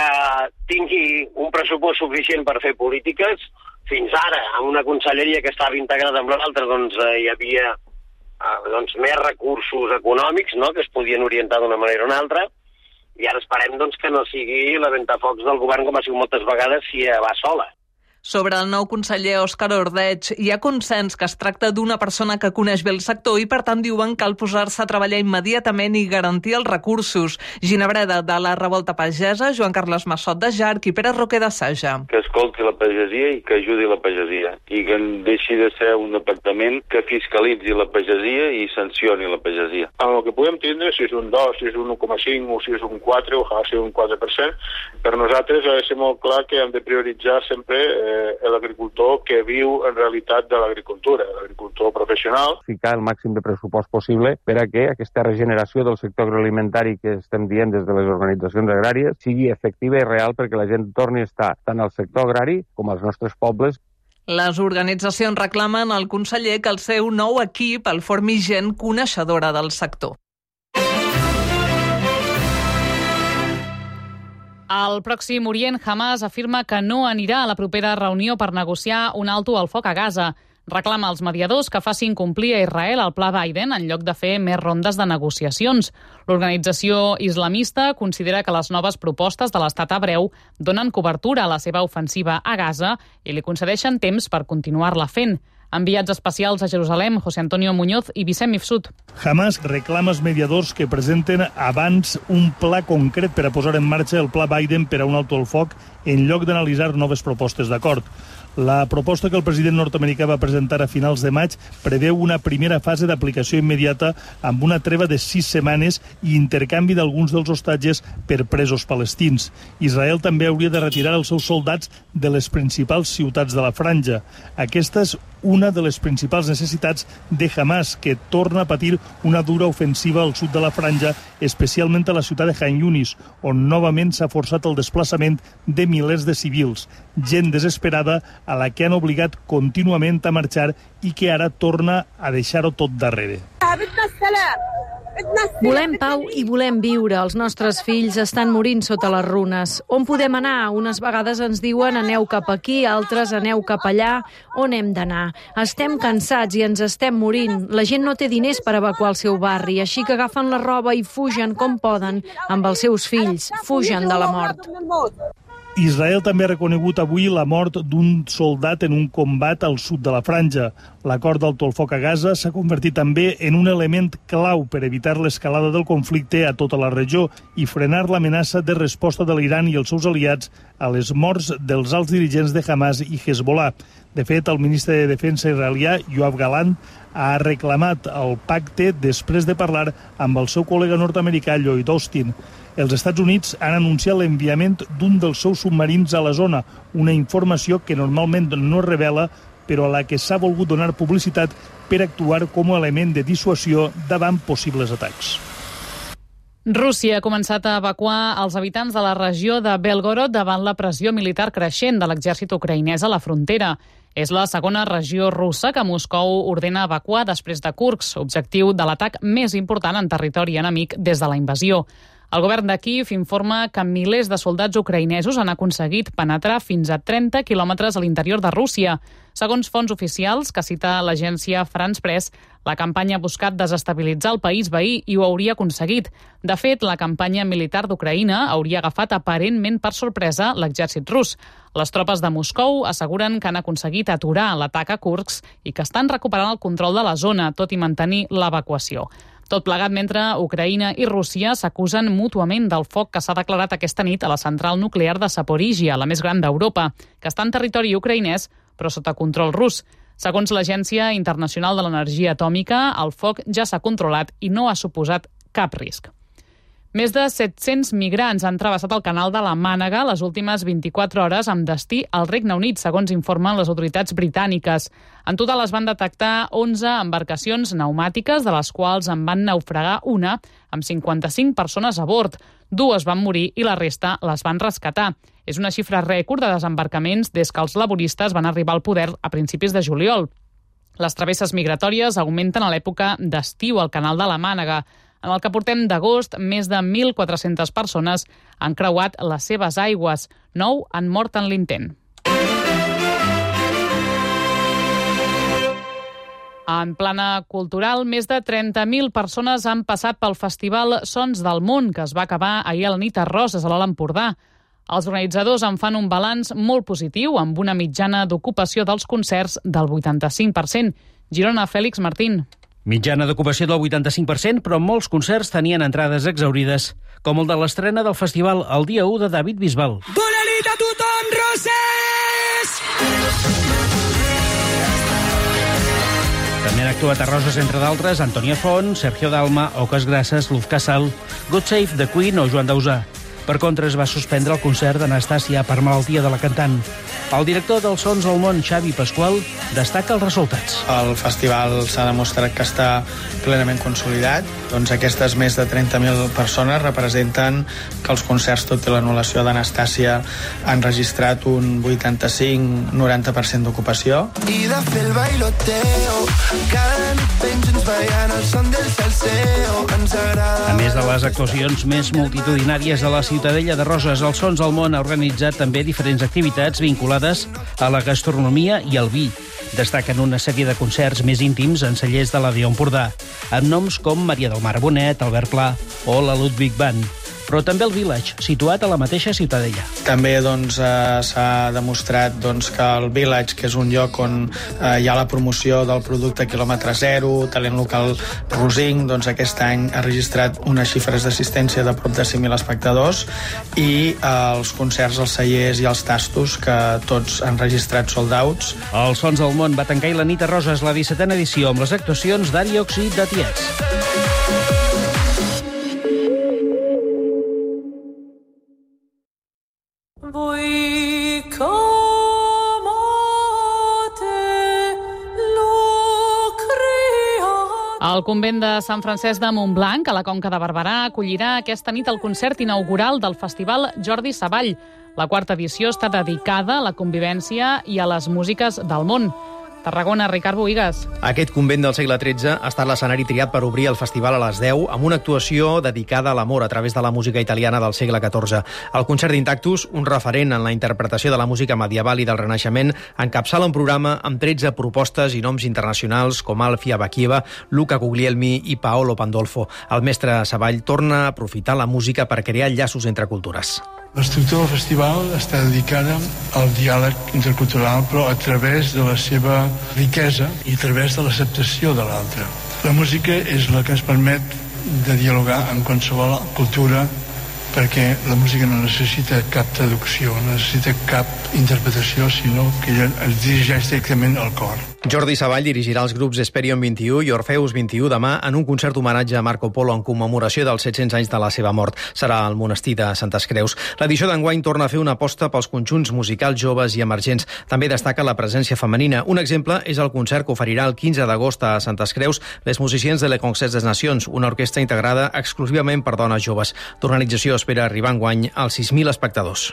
tingui un pressupost suficient per fer polítiques. Fins ara, amb una conselleria que estava integrada amb l'altra, hi havia més recursos econòmics, que es podien orientar d'una manera o una altra, i ara esperem que no sigui la ventafocs del govern, com ha sigut moltes vegades, si va sola. Sobre el nou conseller Òscar Ordeig, hi ha consens que es tracta d'una persona que coneix bé el sector i, per tant, diuen que cal posar-se a treballar immediatament i garantir els recursos. Ginabreda, de la Revolta Pagesa, Joan Carles Massot, de Jarc i Pere Roquer, de Saja. Que escolti la pagesia i que ajudi la pagesia i que deixi de ser un departament que fiscalitzi la pagesia i sancioni la pagesia. En el que podem tindre, si és un 2, si és un 1,5 o si és un 4, ojalà sigui un 4%, per nosaltres ha de ser molt clar que hem de prioritzar sempre l'agricultor que viu en realitat de l'agricultura, l'agricultor professional. Ficar el màxim de pressupost possible per a que aquesta regeneració del sector agroalimentari que estem dient des de les organitzacions agràries sigui efectiva i real perquè la gent torni a estar tant al sector agrari com als nostres pobles. Les organitzacions reclamen al conseller que el seu nou equip el formi gent coneixedora del sector. Al Pròxim Orient, Hamas afirma que no anirà a la propera reunió per negociar un alto al foc a Gaza. reclama als mediadors que facin complir a Israel el pla Biden en lloc de fer més rondes de negociacions. L'organització islamista considera que les noves propostes de l'estat hebreu donen cobertura a la seva ofensiva a Gaza i li concedeixen temps per continuar-la fent. Enviats especials a Jerusalem, José Antonio Muñoz i Vicent Mifsud. Hamas reclama als mediadors que presenten abans un pla concret per a posar en marxa el pla Biden per a un alto el foc en lloc d'analitzar noves propostes d'acord. La proposta que el president nord-americà va presentar a finals de maig preveu una primera fase d'aplicació immediata amb una treva de 6 setmanes i intercanvi d'alguns dels hostatges per presos palestins. Israel també hauria de retirar els seus soldats de les principals ciutats de la franja. Aquesta és una de les principals necessitats de Hamas, que torna a patir una dura ofensiva al sud de la franja, especialment a la ciutat de Khan Yunis, on novament s'ha forçat el desplaçament de milers de civils, gent desesperada a la que han obligat contínuament a marxar i que ara torna a deixar-ho tot darrere. Volem pau i volem viure. Els nostres fills estan morint sota les runes. On podem anar? Unes vegades ens diuen aneu cap aquí, altres aneu cap allà. On hem d'anar? Estem cansats i ens estem morint. La gent no té diners per evacuar el seu barri, així que agafen la roba i fugen com poden amb els seus fills. Fugen de la mort. Israel també ha reconegut avui la mort d'un soldat en un combat al sud de la franja. L'acord d'alto el foc a Gaza s'ha convertit també en un element clau per evitar l'escalada del conflicte a tota la regió i frenar l'amenaça de resposta de l'Iran i els seus aliats a les morts dels alts dirigents de Hamas i Hezbollah. De fet, el ministre de Defensa israelià, Yoav Gallant, ha reclamat el pacte després de parlar amb el seu col·lega nord-americà, Lloyd Austin. Els Estats Units han anunciat l'enviament d'un dels seus submarins a la zona, una informació que normalment no es revela, però a la que s'ha volgut donar publicitat per actuar com a element de dissuasió davant possibles atacs. Rússia ha començat a evacuar els habitants de la regió de Belgorod davant la pressió militar creixent de l'exèrcit ucraïnès a la frontera. És la segona regió russa que Moscou ordena evacuar després de Kursk, objectiu de l'atac més important en territori enemic des de la invasió. El govern de Kíev informa que milers de soldats ucraïnesos han aconseguit penetrar fins a 30 quilòmetres a l'interior de Rússia. Segons fonts oficials que cita l'agència France Press, la campanya ha buscat desestabilitzar el país veí i ho hauria aconseguit. De fet, la campanya militar d'Ucraïna hauria agafat aparentment per sorpresa l'exèrcit rus. Les tropes de Moscou asseguren que han aconseguit aturar l'atac a Kursk i que estan recuperant el control de la zona, tot i mantenir l'evacuació. Tot plegat mentre Ucraïna i Rússia s'acusen mútuament del foc que s'ha declarat aquesta nit a la central nuclear de Zaporizhia, la més gran d'Europa, que està en territori ucraïnès però sota control rus. Segons l'Agència Internacional de l'Energia Atòmica, el foc ja s'ha controlat i no ha suposat cap risc. Més de 700 migrants han travessat el canal de la Mànega les últimes 24 hores amb destí al Regne Unit, segons informen les autoritats britàniques. En total es van detectar 11 embarcacions pneumàtiques, de les quals en van naufragar una, amb 55 persones a bord. 2 van morir i la resta les van rescatar. És una xifra rècord de desembarcaments des que els laboristes van arribar al poder a principis de juliol. Les travesses migratòries augmenten a l'època d'estiu al canal de la Mànega. En el que portem d'agost, més de 1.400 persones han creuat les seves aigües. 9 han mort en l'intent. En plana cultural, més de 30.000 persones han passat pel festival Sons del Món, que es va acabar ahir a la nit a Roses, a l'Alt Empordà. Els organitzadors en fan un balanç molt positiu, amb una mitjana d'ocupació dels concerts del 85%. Girona, Fèlix Martín. Mitjana d'ocupació del 85%, però molts concerts tenien entrades exaurides, com el de l'estrena del festival el dia 1 de David Bisbal. Bona nit a tothom, Roses! També han actuat a Roses, entre d'altres, Antònia Font, Sergio Dalma, Oques Grasses, Luz Casal, God Save the Queen o Joan Dausà. Per contra, es va suspendre el concert d'Anastàcia per malaltia de la cantant. El director dels Sons del Món, Xavi Pasqual, destaca els resultats. El festival s'ha demostrat que està plenament consolidat. Doncs aquestes més de 30.000 persones representen que els concerts, tot i l'anul·lació d'Anastàcia, han registrat un 85-90% d'ocupació. I de fer el bailoteo, cada nit ben junts ballant el son del salseo, ens agrada. A més de les actuacions més multitudinàries de la Ciutadella de Roses, els Sons del Món ha organitzat també diferents activitats vinculades a la gastronomia i al vi. Destaquen una sèrie de concerts més íntims en cellers de l'Àrea Empordà, amb noms com Maria del Mar Bonet, Albert Pla o la Ludwig Band. Però també el Village, situat a la mateixa Ciutadella. També s'ha demostrat que el Village, que és un lloc on hi ha la promoció del producte quilòmetre zero, talent local Rosing, aquest any ha registrat unes xifres d'assistència de prop de 5.000 espectadors, i els concerts, els cellers i els tastos, que tots han registrat sold outs. Els Sons del Món va tancar la nit a Roses la 17a edició amb les actuacions d'Ari Oxi de Tiets. El convent de Sant Francesc de Montblanc, a la Conca de Barberà, acollirà aquesta nit el concert inaugural del Festival Jordi Savall. La 4ª edició està dedicada a la convivència i a les músiques del món. Tarragona, Ricard Bohigas. Aquest convent del segle XIII ha estat l'escenari triat per obrir el festival a les 10 amb una actuació dedicada a l'amor a través de la música italiana del segle XIV. El concert d'Intactus, un referent en la interpretació de la música medieval i del Renaixement, encapçala un programa amb 13 propostes i noms internacionals com Alfia Bakieva, Luca Guglielmi i Paolo Pandolfo. El mestre Savall torna a aprofitar la música per crear llaços entre cultures. L'estructura del festival està dedicada al diàleg intercultural, però a través de la seva riquesa i a través de l'acceptació de l'altre. La música és la que ens permet de dialogar amb qualsevol cultura, perquè la música no necessita cap traducció, no necessita cap interpretació, sinó que es dirigeix directament al cor. Jordi Savall dirigirà els grups Hesperion 21 i Orfeus 21 demà en un concert homenatge a Marco Polo en commemoració dels 700 anys de la seva mort. Serà al monestir de Santes Creus. L'edició d'enguany torna a fer una aposta pels conjunts musicals joves i emergents. També destaca la presència femenina. Un exemple és el concert que oferirà el 15 d'agost a Santes Creus les musiciens de Le Concert des Nacions, una orquestra integrada exclusivament per dones joves. L'organització espera arribar enguany als 6.000 espectadors.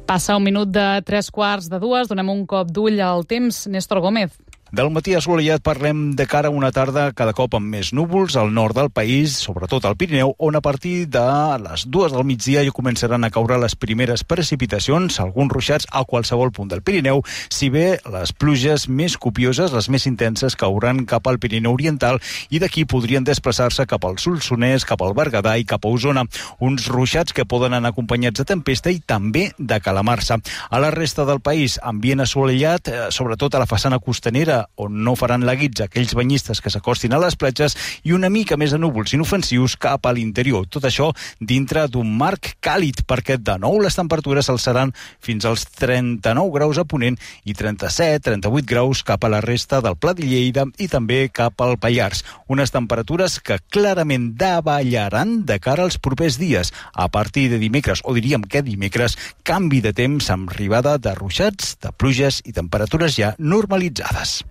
Passa un minut de 3:15, donem un cop d'ull al temps. Néstor Gómez. Del matí assolellat parlem de cara a una tarda cada cop amb més núvols al nord del país, sobretot al Pirineu, on a partir de les 2 del migdia ja començaran a caure les primeres precipitacions, alguns ruixats a qualsevol punt del Pirineu, si bé les pluges més copioses, les més intenses, cauran cap al Pirineu Oriental i d'aquí podrien desplaçar-se cap al Solsonès, cap al Berguedà i cap a Osona. Uns ruixats que poden anar acompanyats de tempesta i també de calamarsa. A la resta del país, ambient assolellat, sobretot a la façana costanera, on no faran la guitza aquells banyistes que s'acostin a les platges, i una mica més de núvols inofensius cap a l'interior. Tot això dintre d'un marc càlid, perquè de nou les temperatures alçaran fins als 39 graus a Ponent i 37-38 graus cap a la resta del Pla de Lleida i també cap al Pallars. Unes temperatures que clarament davallaran de cara als propers dies. A partir de dimecres, o diríem que dimecres, canvi de temps amb arribada de ruixats, de pluges i temperatures ja normalitzades.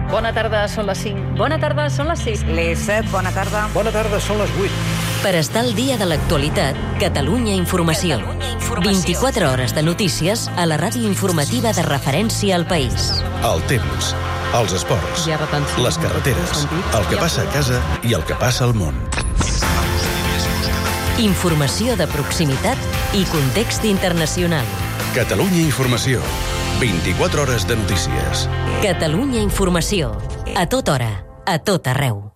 Bona tarda, són les 5. Bona tarda, són les 6. Les 7, bona tarda. Bona tarda, són les 8. Per estar al dia de l'actualitat, Catalunya Informació. 24 hores de notícies a la ràdio informativa de referència al país. El temps, els esports, les carreteres, el que passa a casa i el que passa al món. Informació de proximitat i context internacional. Catalunya Informació. 24 hores de notícies. Catalunya Informació. A tota hora, a tot arreu.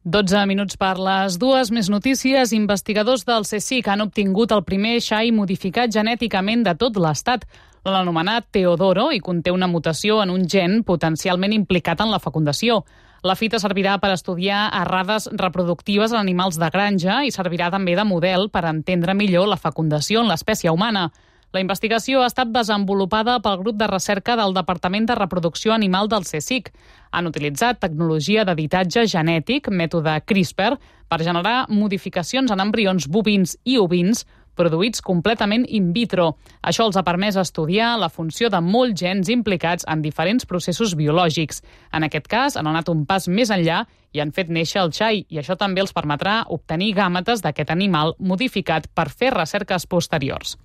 12 minuts per les 2. Més notícies. Investigadors del CSIC han obtingut el primer xai modificat genèticament de tot l'Estat. L'han anomenat Teodoro i conté una mutació en un gen potencialment implicat en la fecundació. La fita servirà per estudiar errades reproductives en animals de granja i servirà també de model per entendre millor la fecundació en l'espècie humana. La investigació ha estat desenvolupada pel grup de recerca del Departament de Reproducció Animal del CSIC. Han utilitzat tecnologia d'editatge genètic, mètode CRISPR, per generar modificacions en embrions bovins i ovins produïts completament in vitro. Això els ha permès estudiar la funció de molts gens implicats en diferents processos biològics. En aquest cas, han anat un pas més enllà i han fet néixer el xai, i això també els permetrà obtenir gàmetes d'aquest animal modificat per fer recerques posteriors.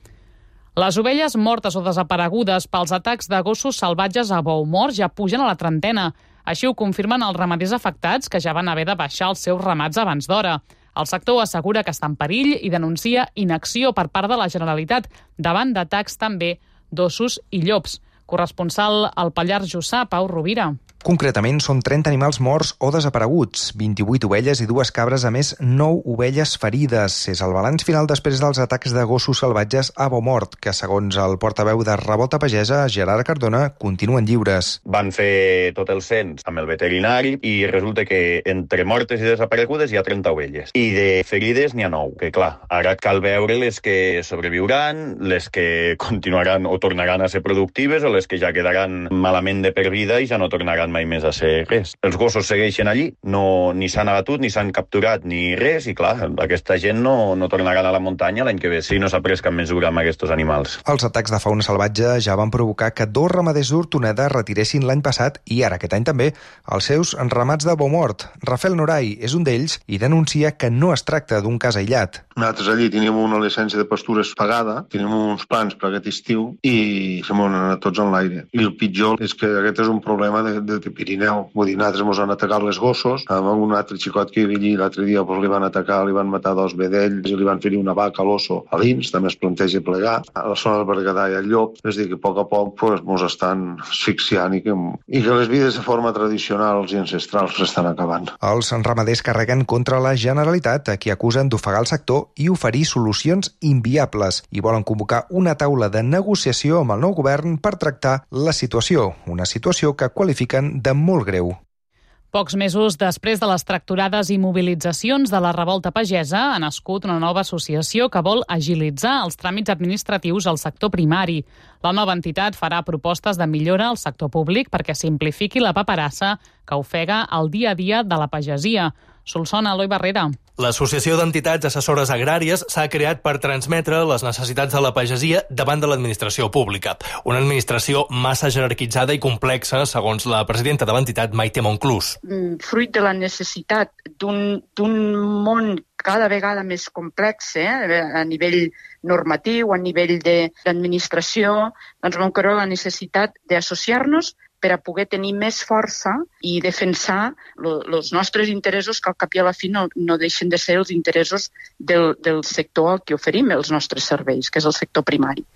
Les ovelles mortes o desaparegudes pels atacs de gossos salvatges a bou mort ja pugen a la trentena. Així ho confirmen els ramaders afectats, que ja van haver de baixar els seus ramats abans d'hora. El sector assegura que està en perill i denuncia inacció per part de la Generalitat davant d'atacs també d'ossos i llops. Corresponsal al Pallars Jussà, Pau Rovira. Concretament, són 30 animals morts o desapareguts, 28 ovelles i 2 cabres, a més 9 ovelles ferides. És el balanç final després dels atacs de gossos salvatges a Beaumort, que segons el portaveu de Revolta Pagesa, Gerard Cardona, continuen lliures. Van fer tot el cens amb el veterinari i resulta que entre mortes i desaparegudes hi ha 30 ovelles. I de ferides n'hi ha 9, que clar, ara cal veure les que sobreviuran, les que continuaran o tornaran a ser productives o les que ja quedaran malament de per vida i ja no tornaran mai més a ser res. Els gossos segueixen allí, ni s'han abatut, ni s'han capturat, ni res, i clar, aquesta gent no tornaran a la muntanya l'any que ve si no s'ha pres cap mesura amb aquests animals. Els atacs de fauna salvatge ja van provocar que 2 ramaders d'Hortoneda retiressin l'any passat i ara aquest any també els seus ramats de Beaumort. Rafael Noray és un d'ells i denuncia que no es tracta d'un cas aïllat. Nosaltres allí teníem una llicència de pastures pagada, teníem uns plans per aquest estiu i se m'han anat tots en l'aire. I el pitjor és que aquest és un problema de Pirineu. Vull dir, nosaltres ens han atacat les gossos, amb un altre xicot que hi havia allí l'altre dia li van atacar, li van matar 2 vedells i li van ferir una vaca a l'osso a dins, també es planteja plegar. A la zona del Berguedà i al Llop, és dir, que a poc ens estan asfixiant i que les vides de forma tradicionals i ancestrals s'estan acabant. Els ramaders carreguen contra la Generalitat, a qui acusen d'ofegar el sector i oferir solucions inviables, i volen convocar una taula de negociació amb el nou govern per tractar la situació, una situació que qualifiquen de molt greu. Pocs mesos després de les tractorades i mobilitzacions de la revolta pagesa, ha nascut una nova associació que vol agilitzar els tràmits administratius al sector primari. La nova entitat farà propostes de millora al sector públic perquè simplifiqui la paperassa que ofega el dia a dia de la pagesia. Solsona, Eloi Barrera. L'Associació d'Entitats Assessores Agràries s'ha creat per transmetre les necessitats de la pagesia davant de l'administració pública. Una administració massa jerarquitzada i complexa, segons la presidenta de l'entitat, Maite Monclús. Fruit de la necessitat d'un món cada vegada més complex, a nivell normatiu, a nivell d'administració, doncs vam creure la necessitat d'associar-nos per a poder tenir més força i defensar els nostres interessos, que al cap i a la fi no deixen de ser els interessos del sector al que oferim els nostres serveis, que és el sector primari.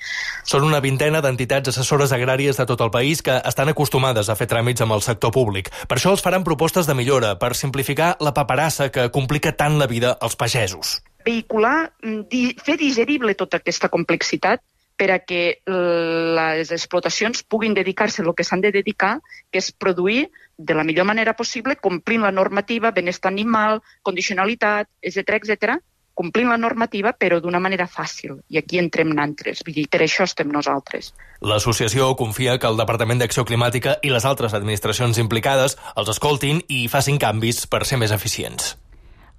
Són una vintena d'entitats assessores agràries de tot el país que estan acostumades a fer tràmits amb el sector públic. Per això els faran propostes de millora, per simplificar la paperassa que complica tant la vida als pagesos. Vehicular, fer digerible tota aquesta complexitat per a que les explotacions puguin dedicar-se al que s'han de dedicar, que és produir de la millor manera possible, complint la normativa, benestar animal, condicionalitat, etc., complint la normativa, però d'una manera fàcil. I aquí entrem nosaltres. Vull dir, per això estem nosaltres. L'associació confia que el Departament d'Acció Climàtica i les altres administracions implicades els escoltin i facin canvis per ser més eficients.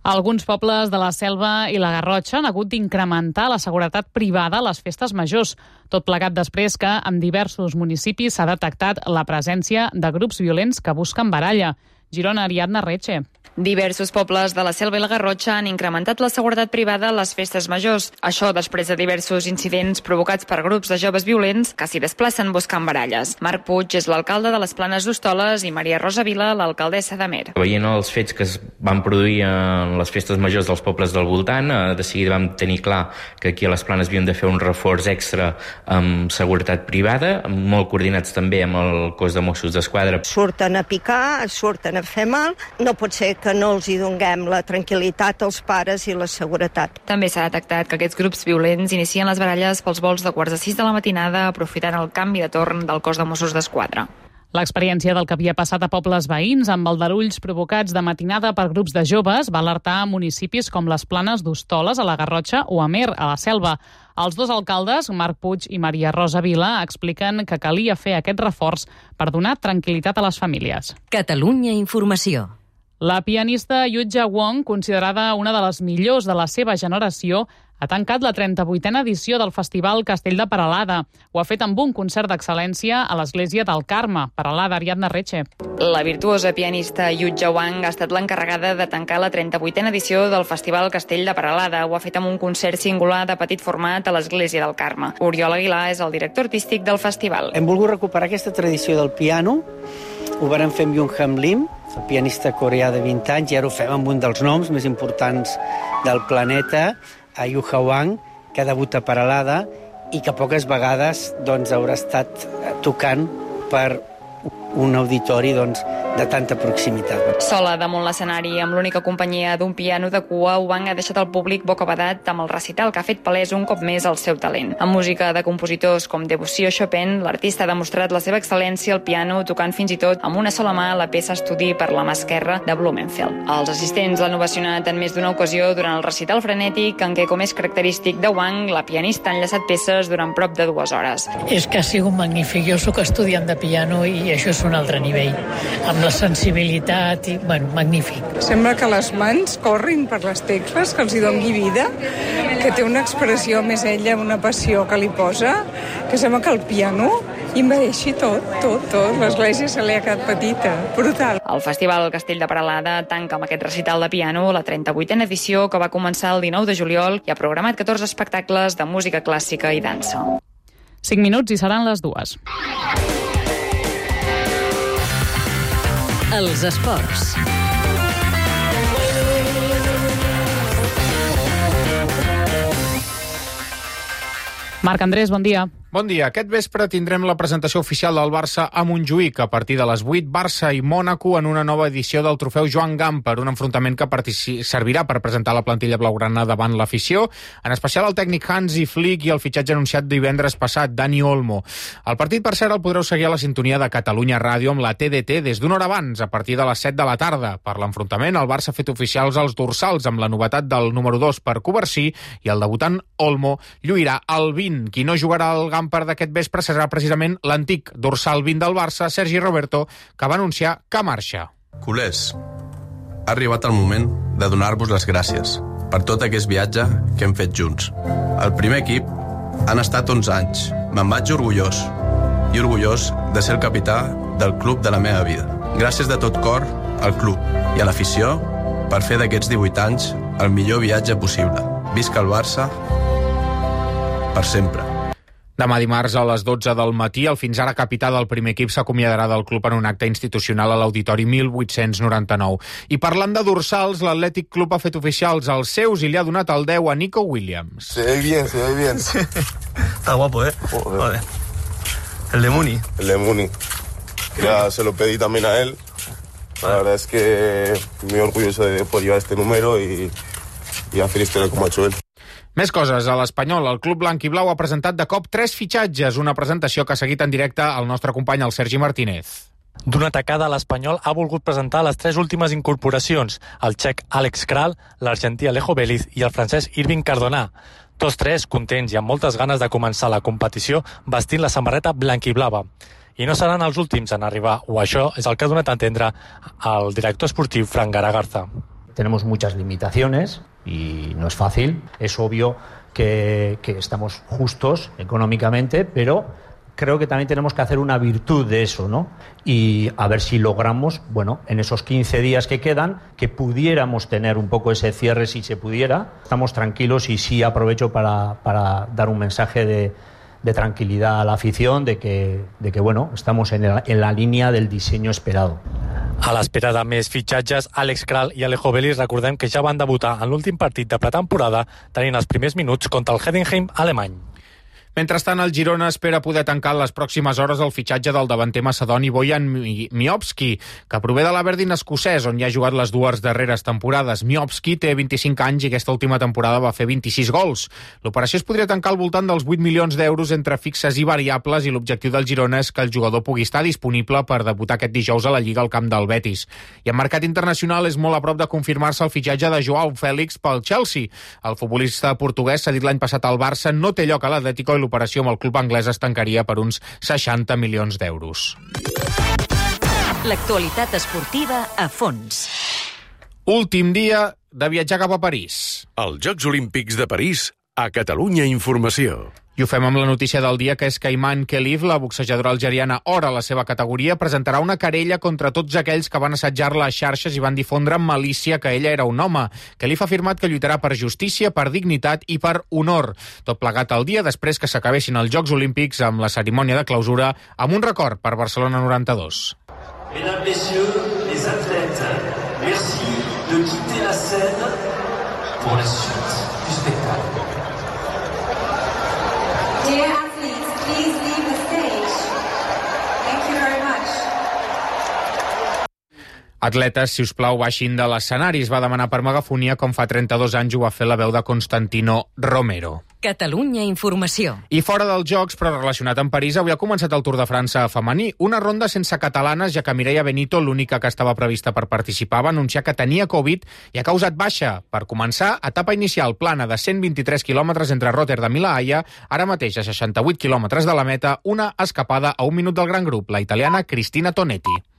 Alguns pobles de la Selva i la Garrotxa han hagut d'incrementar la seguretat privada a les festes majors, tot plegat després que en diversos municipis s'ha detectat la presència de grups violents que busquen baralla. Girona, Ariadna Reche. Diversos pobles de la Selva i la Garrotxa han incrementat la seguretat privada a les festes majors. Això després de diversos incidents provocats per grups de joves violents que s'hi desplacen buscant baralles. Marc Puig és l'alcalde de les Planes d'Hostoles i Maria Rosa Vila, l'alcaldessa d'Amer. Veient els fets que es van produir en les festes majors dels pobles del voltant, de seguida vam tenir clar que aquí a les Planes havíem de fer un reforç extra amb seguretat privada, molt coordinats també amb el cos de Mossos d'Esquadra. Surten a picar, surten a fer mal, no pot ser que no els hi donem la tranquil·litat als pares i la seguretat. També s'ha detectat que aquests grups violents inicien les baralles pels vols de 5:15 de la matinada, aprofitant el canvi de torn del cos de Mossos d'Esquadra. L'experiència del que havia passat a pobles veïns amb aldarulls provocats de matinada per grups de joves va alertar a municipis com les Planes d'Hostoles, a la Garrotxa, o Amer, a la Selva. Els dos alcaldes, Marc Puig i Maria Rosa Vila, expliquen que calia fer aquest reforç per donar tranquil·litat a les famílies. Catalunya Informació. La pianista Yutja Wong, considerada una de les millors de la seva generació, ha tancat la 38a edició del Festival Castell de Peralada. Ho ha fet amb un concert d'excel·lència a l'Església del Carme. Peralada, Ariadna Reche. La virtuosa pianista Yutja Wang ha estat l'encarregada de tancar la 38a edició del Festival Castell de Peralada. Ho ha fet amb un concert singular de petit format a l'Església del Carme. Oriol Aguilar és el director artístic del festival. Hem volgut recuperar aquesta tradició del piano. Ho vam fer amb Young-Ham Lim, el pianista coreà de 20 anys, i ara ho fem amb un dels noms més importants del planeta, a Yutja Wang, que ha debutat a Peralada i que poques vegades haurà estat tocant per un auditori de tanta proximitat. Sola damunt l'escenari, amb l'única companyia d'un piano de cua, Wang ha deixat el públic bocabadat amb el recital que ha fet palès un cop més el seu talent. Amb música de compositors com Debussy o Chopin, l'artista ha demostrat la seva excel·lència al piano, tocant fins i tot amb una sola mà la peça estudi per la mà esquerra de Blumenfeld. Els assistents l'han ovacionat en més d'una ocasió durant el recital frenètic, en què, com és característic de Wang, la pianista ha enllaçat peces durant prop de 2 hores. És que ha sigut magnífic. Jo sóc estudiant de piano i això és un altre nivell, amb la sensibilitat i, magnífic. Sembla que les mans corrin per les tecles, que els hi doni vida, que té una expressió més ella, una passió que li posa, que sembla que el piano invadeixi tot. L'església se li ha quedat petita. Brutal. El Festival Castell de Peralada tanca amb aquest recital de piano la 38a edició, que va començar el 19 de juliol i ha programat 14 espectacles de música clàssica i dansa. 5 minuts i seran les 2. Els esports. Marc Andrés, bon dia. Bon dia. Aquest vespre tindrem la presentació oficial del Barça a Montjuïc. A partir de les 8, Barça i Mònaco en una nova edició del trofeu Joan Gamper, un enfrontament que servirà per presentar la plantilla blaugrana davant l'afició, en especial el tècnic Hansi Flick i el fitxatge anunciat divendres passat, Dani Olmo. El partit, per cert, el podreu seguir a la sintonia de Catalunya Ràdio amb la TDT des d'una hora abans, a partir de les 7 de la tarda. Per l'enfrontament, el Barça ha fet oficials els dorsals amb la novetat del número 2 per Covarsí i el debutant Olmo lluirà el 20. Qui no jugarà al Gamper d'aquest vespre serà precisament l'antic dorsal 20 del Barça, Sergi Roberto, que va anunciar que marxa. Culers, ha arribat el moment de donar-vos les gràcies per tot aquest viatge que hem fet junts. El primer equip han estat 11 anys. Me'n vaig orgullós de ser el capità del club de la meva vida. Gràcies de tot cor al club i a l'afició per fer d'aquests 18 anys el millor viatge possible. Visca el Barça per sempre. Demà dimarts a les 12 del matí, el fins ara capità del primer equip s'acomiadarà del club en un acte institucional a l'Auditori 1899. I parlant de dorsals, l'Atlètic Club ha fet oficials els seus i li ha donat el 10 a Nico Williams. Se ve bien. Está guapo, ¿eh? Joder. El de Muni. Ya se lo pedí también a él. La verdad es que muy orgulloso de poder llevar este número y hacer historia como ha hecho él. Més coses. A l'Espanyol, el club blanc i blau ha presentat de cop 3 fitxatges, una presentació que ha seguit en directe el nostre company, el Sergi Martínez. D'una tacada, l'Espanyol ha volgut presentar les 3 últimes incorporacions, el txec Alex Kral, l'argentí Alejo Vélez i el francès Irving Cardona. Tots 3 contents i amb moltes ganes de començar la competició vestint la samarreta blanquiblava. I no seran els últims en arribar, o això és el que ha donat a entendre el director esportiu Frank Garagarza. Tenemos muchas limitaciones y no es fácil. Es obvio que estamos justos económicamente, pero creo que también tenemos que hacer una virtud de eso, ¿no? Y a ver si logramos, en esos 15 días que quedan, que pudiéramos tener un poco ese cierre si se pudiera. Estamos tranquilos y sí aprovecho para dar un mensaje de tranquilidad a la afición, de que estamos en la línea del diseño esperado. A l'espera de més fitxatges, Alex Kral i Alejo Vélez recordem que ja van debutar en l'últim partit de pretemporada tenint els primers minuts contra el Heidenheim alemany. Mentrestant, el Girona espera poder tancar en les pròximes hores el fitxatge del davanter macedoni Bojan Miovski, que prové de l'Aberdeen escocès, on ja ha jugat les 2 darreres temporades. Miovski té 25 anys i aquesta última temporada va fer 26 gols. L'operació es podria tancar al voltant dels 8 milions d'euros entre fixes i variables i l'objectiu del Girona és que el jugador pugui estar disponible per debutar aquest dijous a la Lliga al camp del Betis. I en mercat internacional és molt a prop de confirmar-se el fitxatge de Joao Félix pel Chelsea. El futbolista portuguès s'ha dit l'any passat al Barça, no té lloc a l'Atlético i l'operació amb el club anglès es tancaria per uns 60 milions d'euros. L'actualitat esportiva a fons. Últim dia de viatjar cap a París. Els Jocs Olímpics de París A Catalunya Informació. I ho fem amb la notícia del dia, que és que Iman Khelif, la boxejadora algeriana or a la seva categoria, presentarà una querella contra tots aquells que van assetjar-la a xarxes i van difondre amb malícia que ella era un home. Khelif ha afirmat que lluitarà per justícia, per dignitat i per honor. Tot plegat el dia després que s'acabessin els Jocs Olímpics amb la cerimònia de clausura amb un record per Barcelona 92. Mesdames, messieurs, les athlètes, merci de quitter la scène pour la suite du spectacle. Dear athletes, please leave the stage. Thank you very much. Atletes, si us plau, baixin de l'escenari. Es va demanar per megafonia, com fa 32 anys ho va fer la veu de Constantino Romero. Catalunya Informació. I fora dels Jocs, però relacionat amb París, avui ha començat el Tour de França femení. Una ronda sense catalanes, ja que Mireia Benito, l'única que estava prevista per participar, va anunciar que tenia Covid i ha causat baixa. Per començar, etapa inicial plana de 123 quilòmetres entre Rotterdam i La Haia, ara mateix a 68 quilòmetres de la meta, una escapada a un minut del gran grup, la italiana Cristina Tonetti.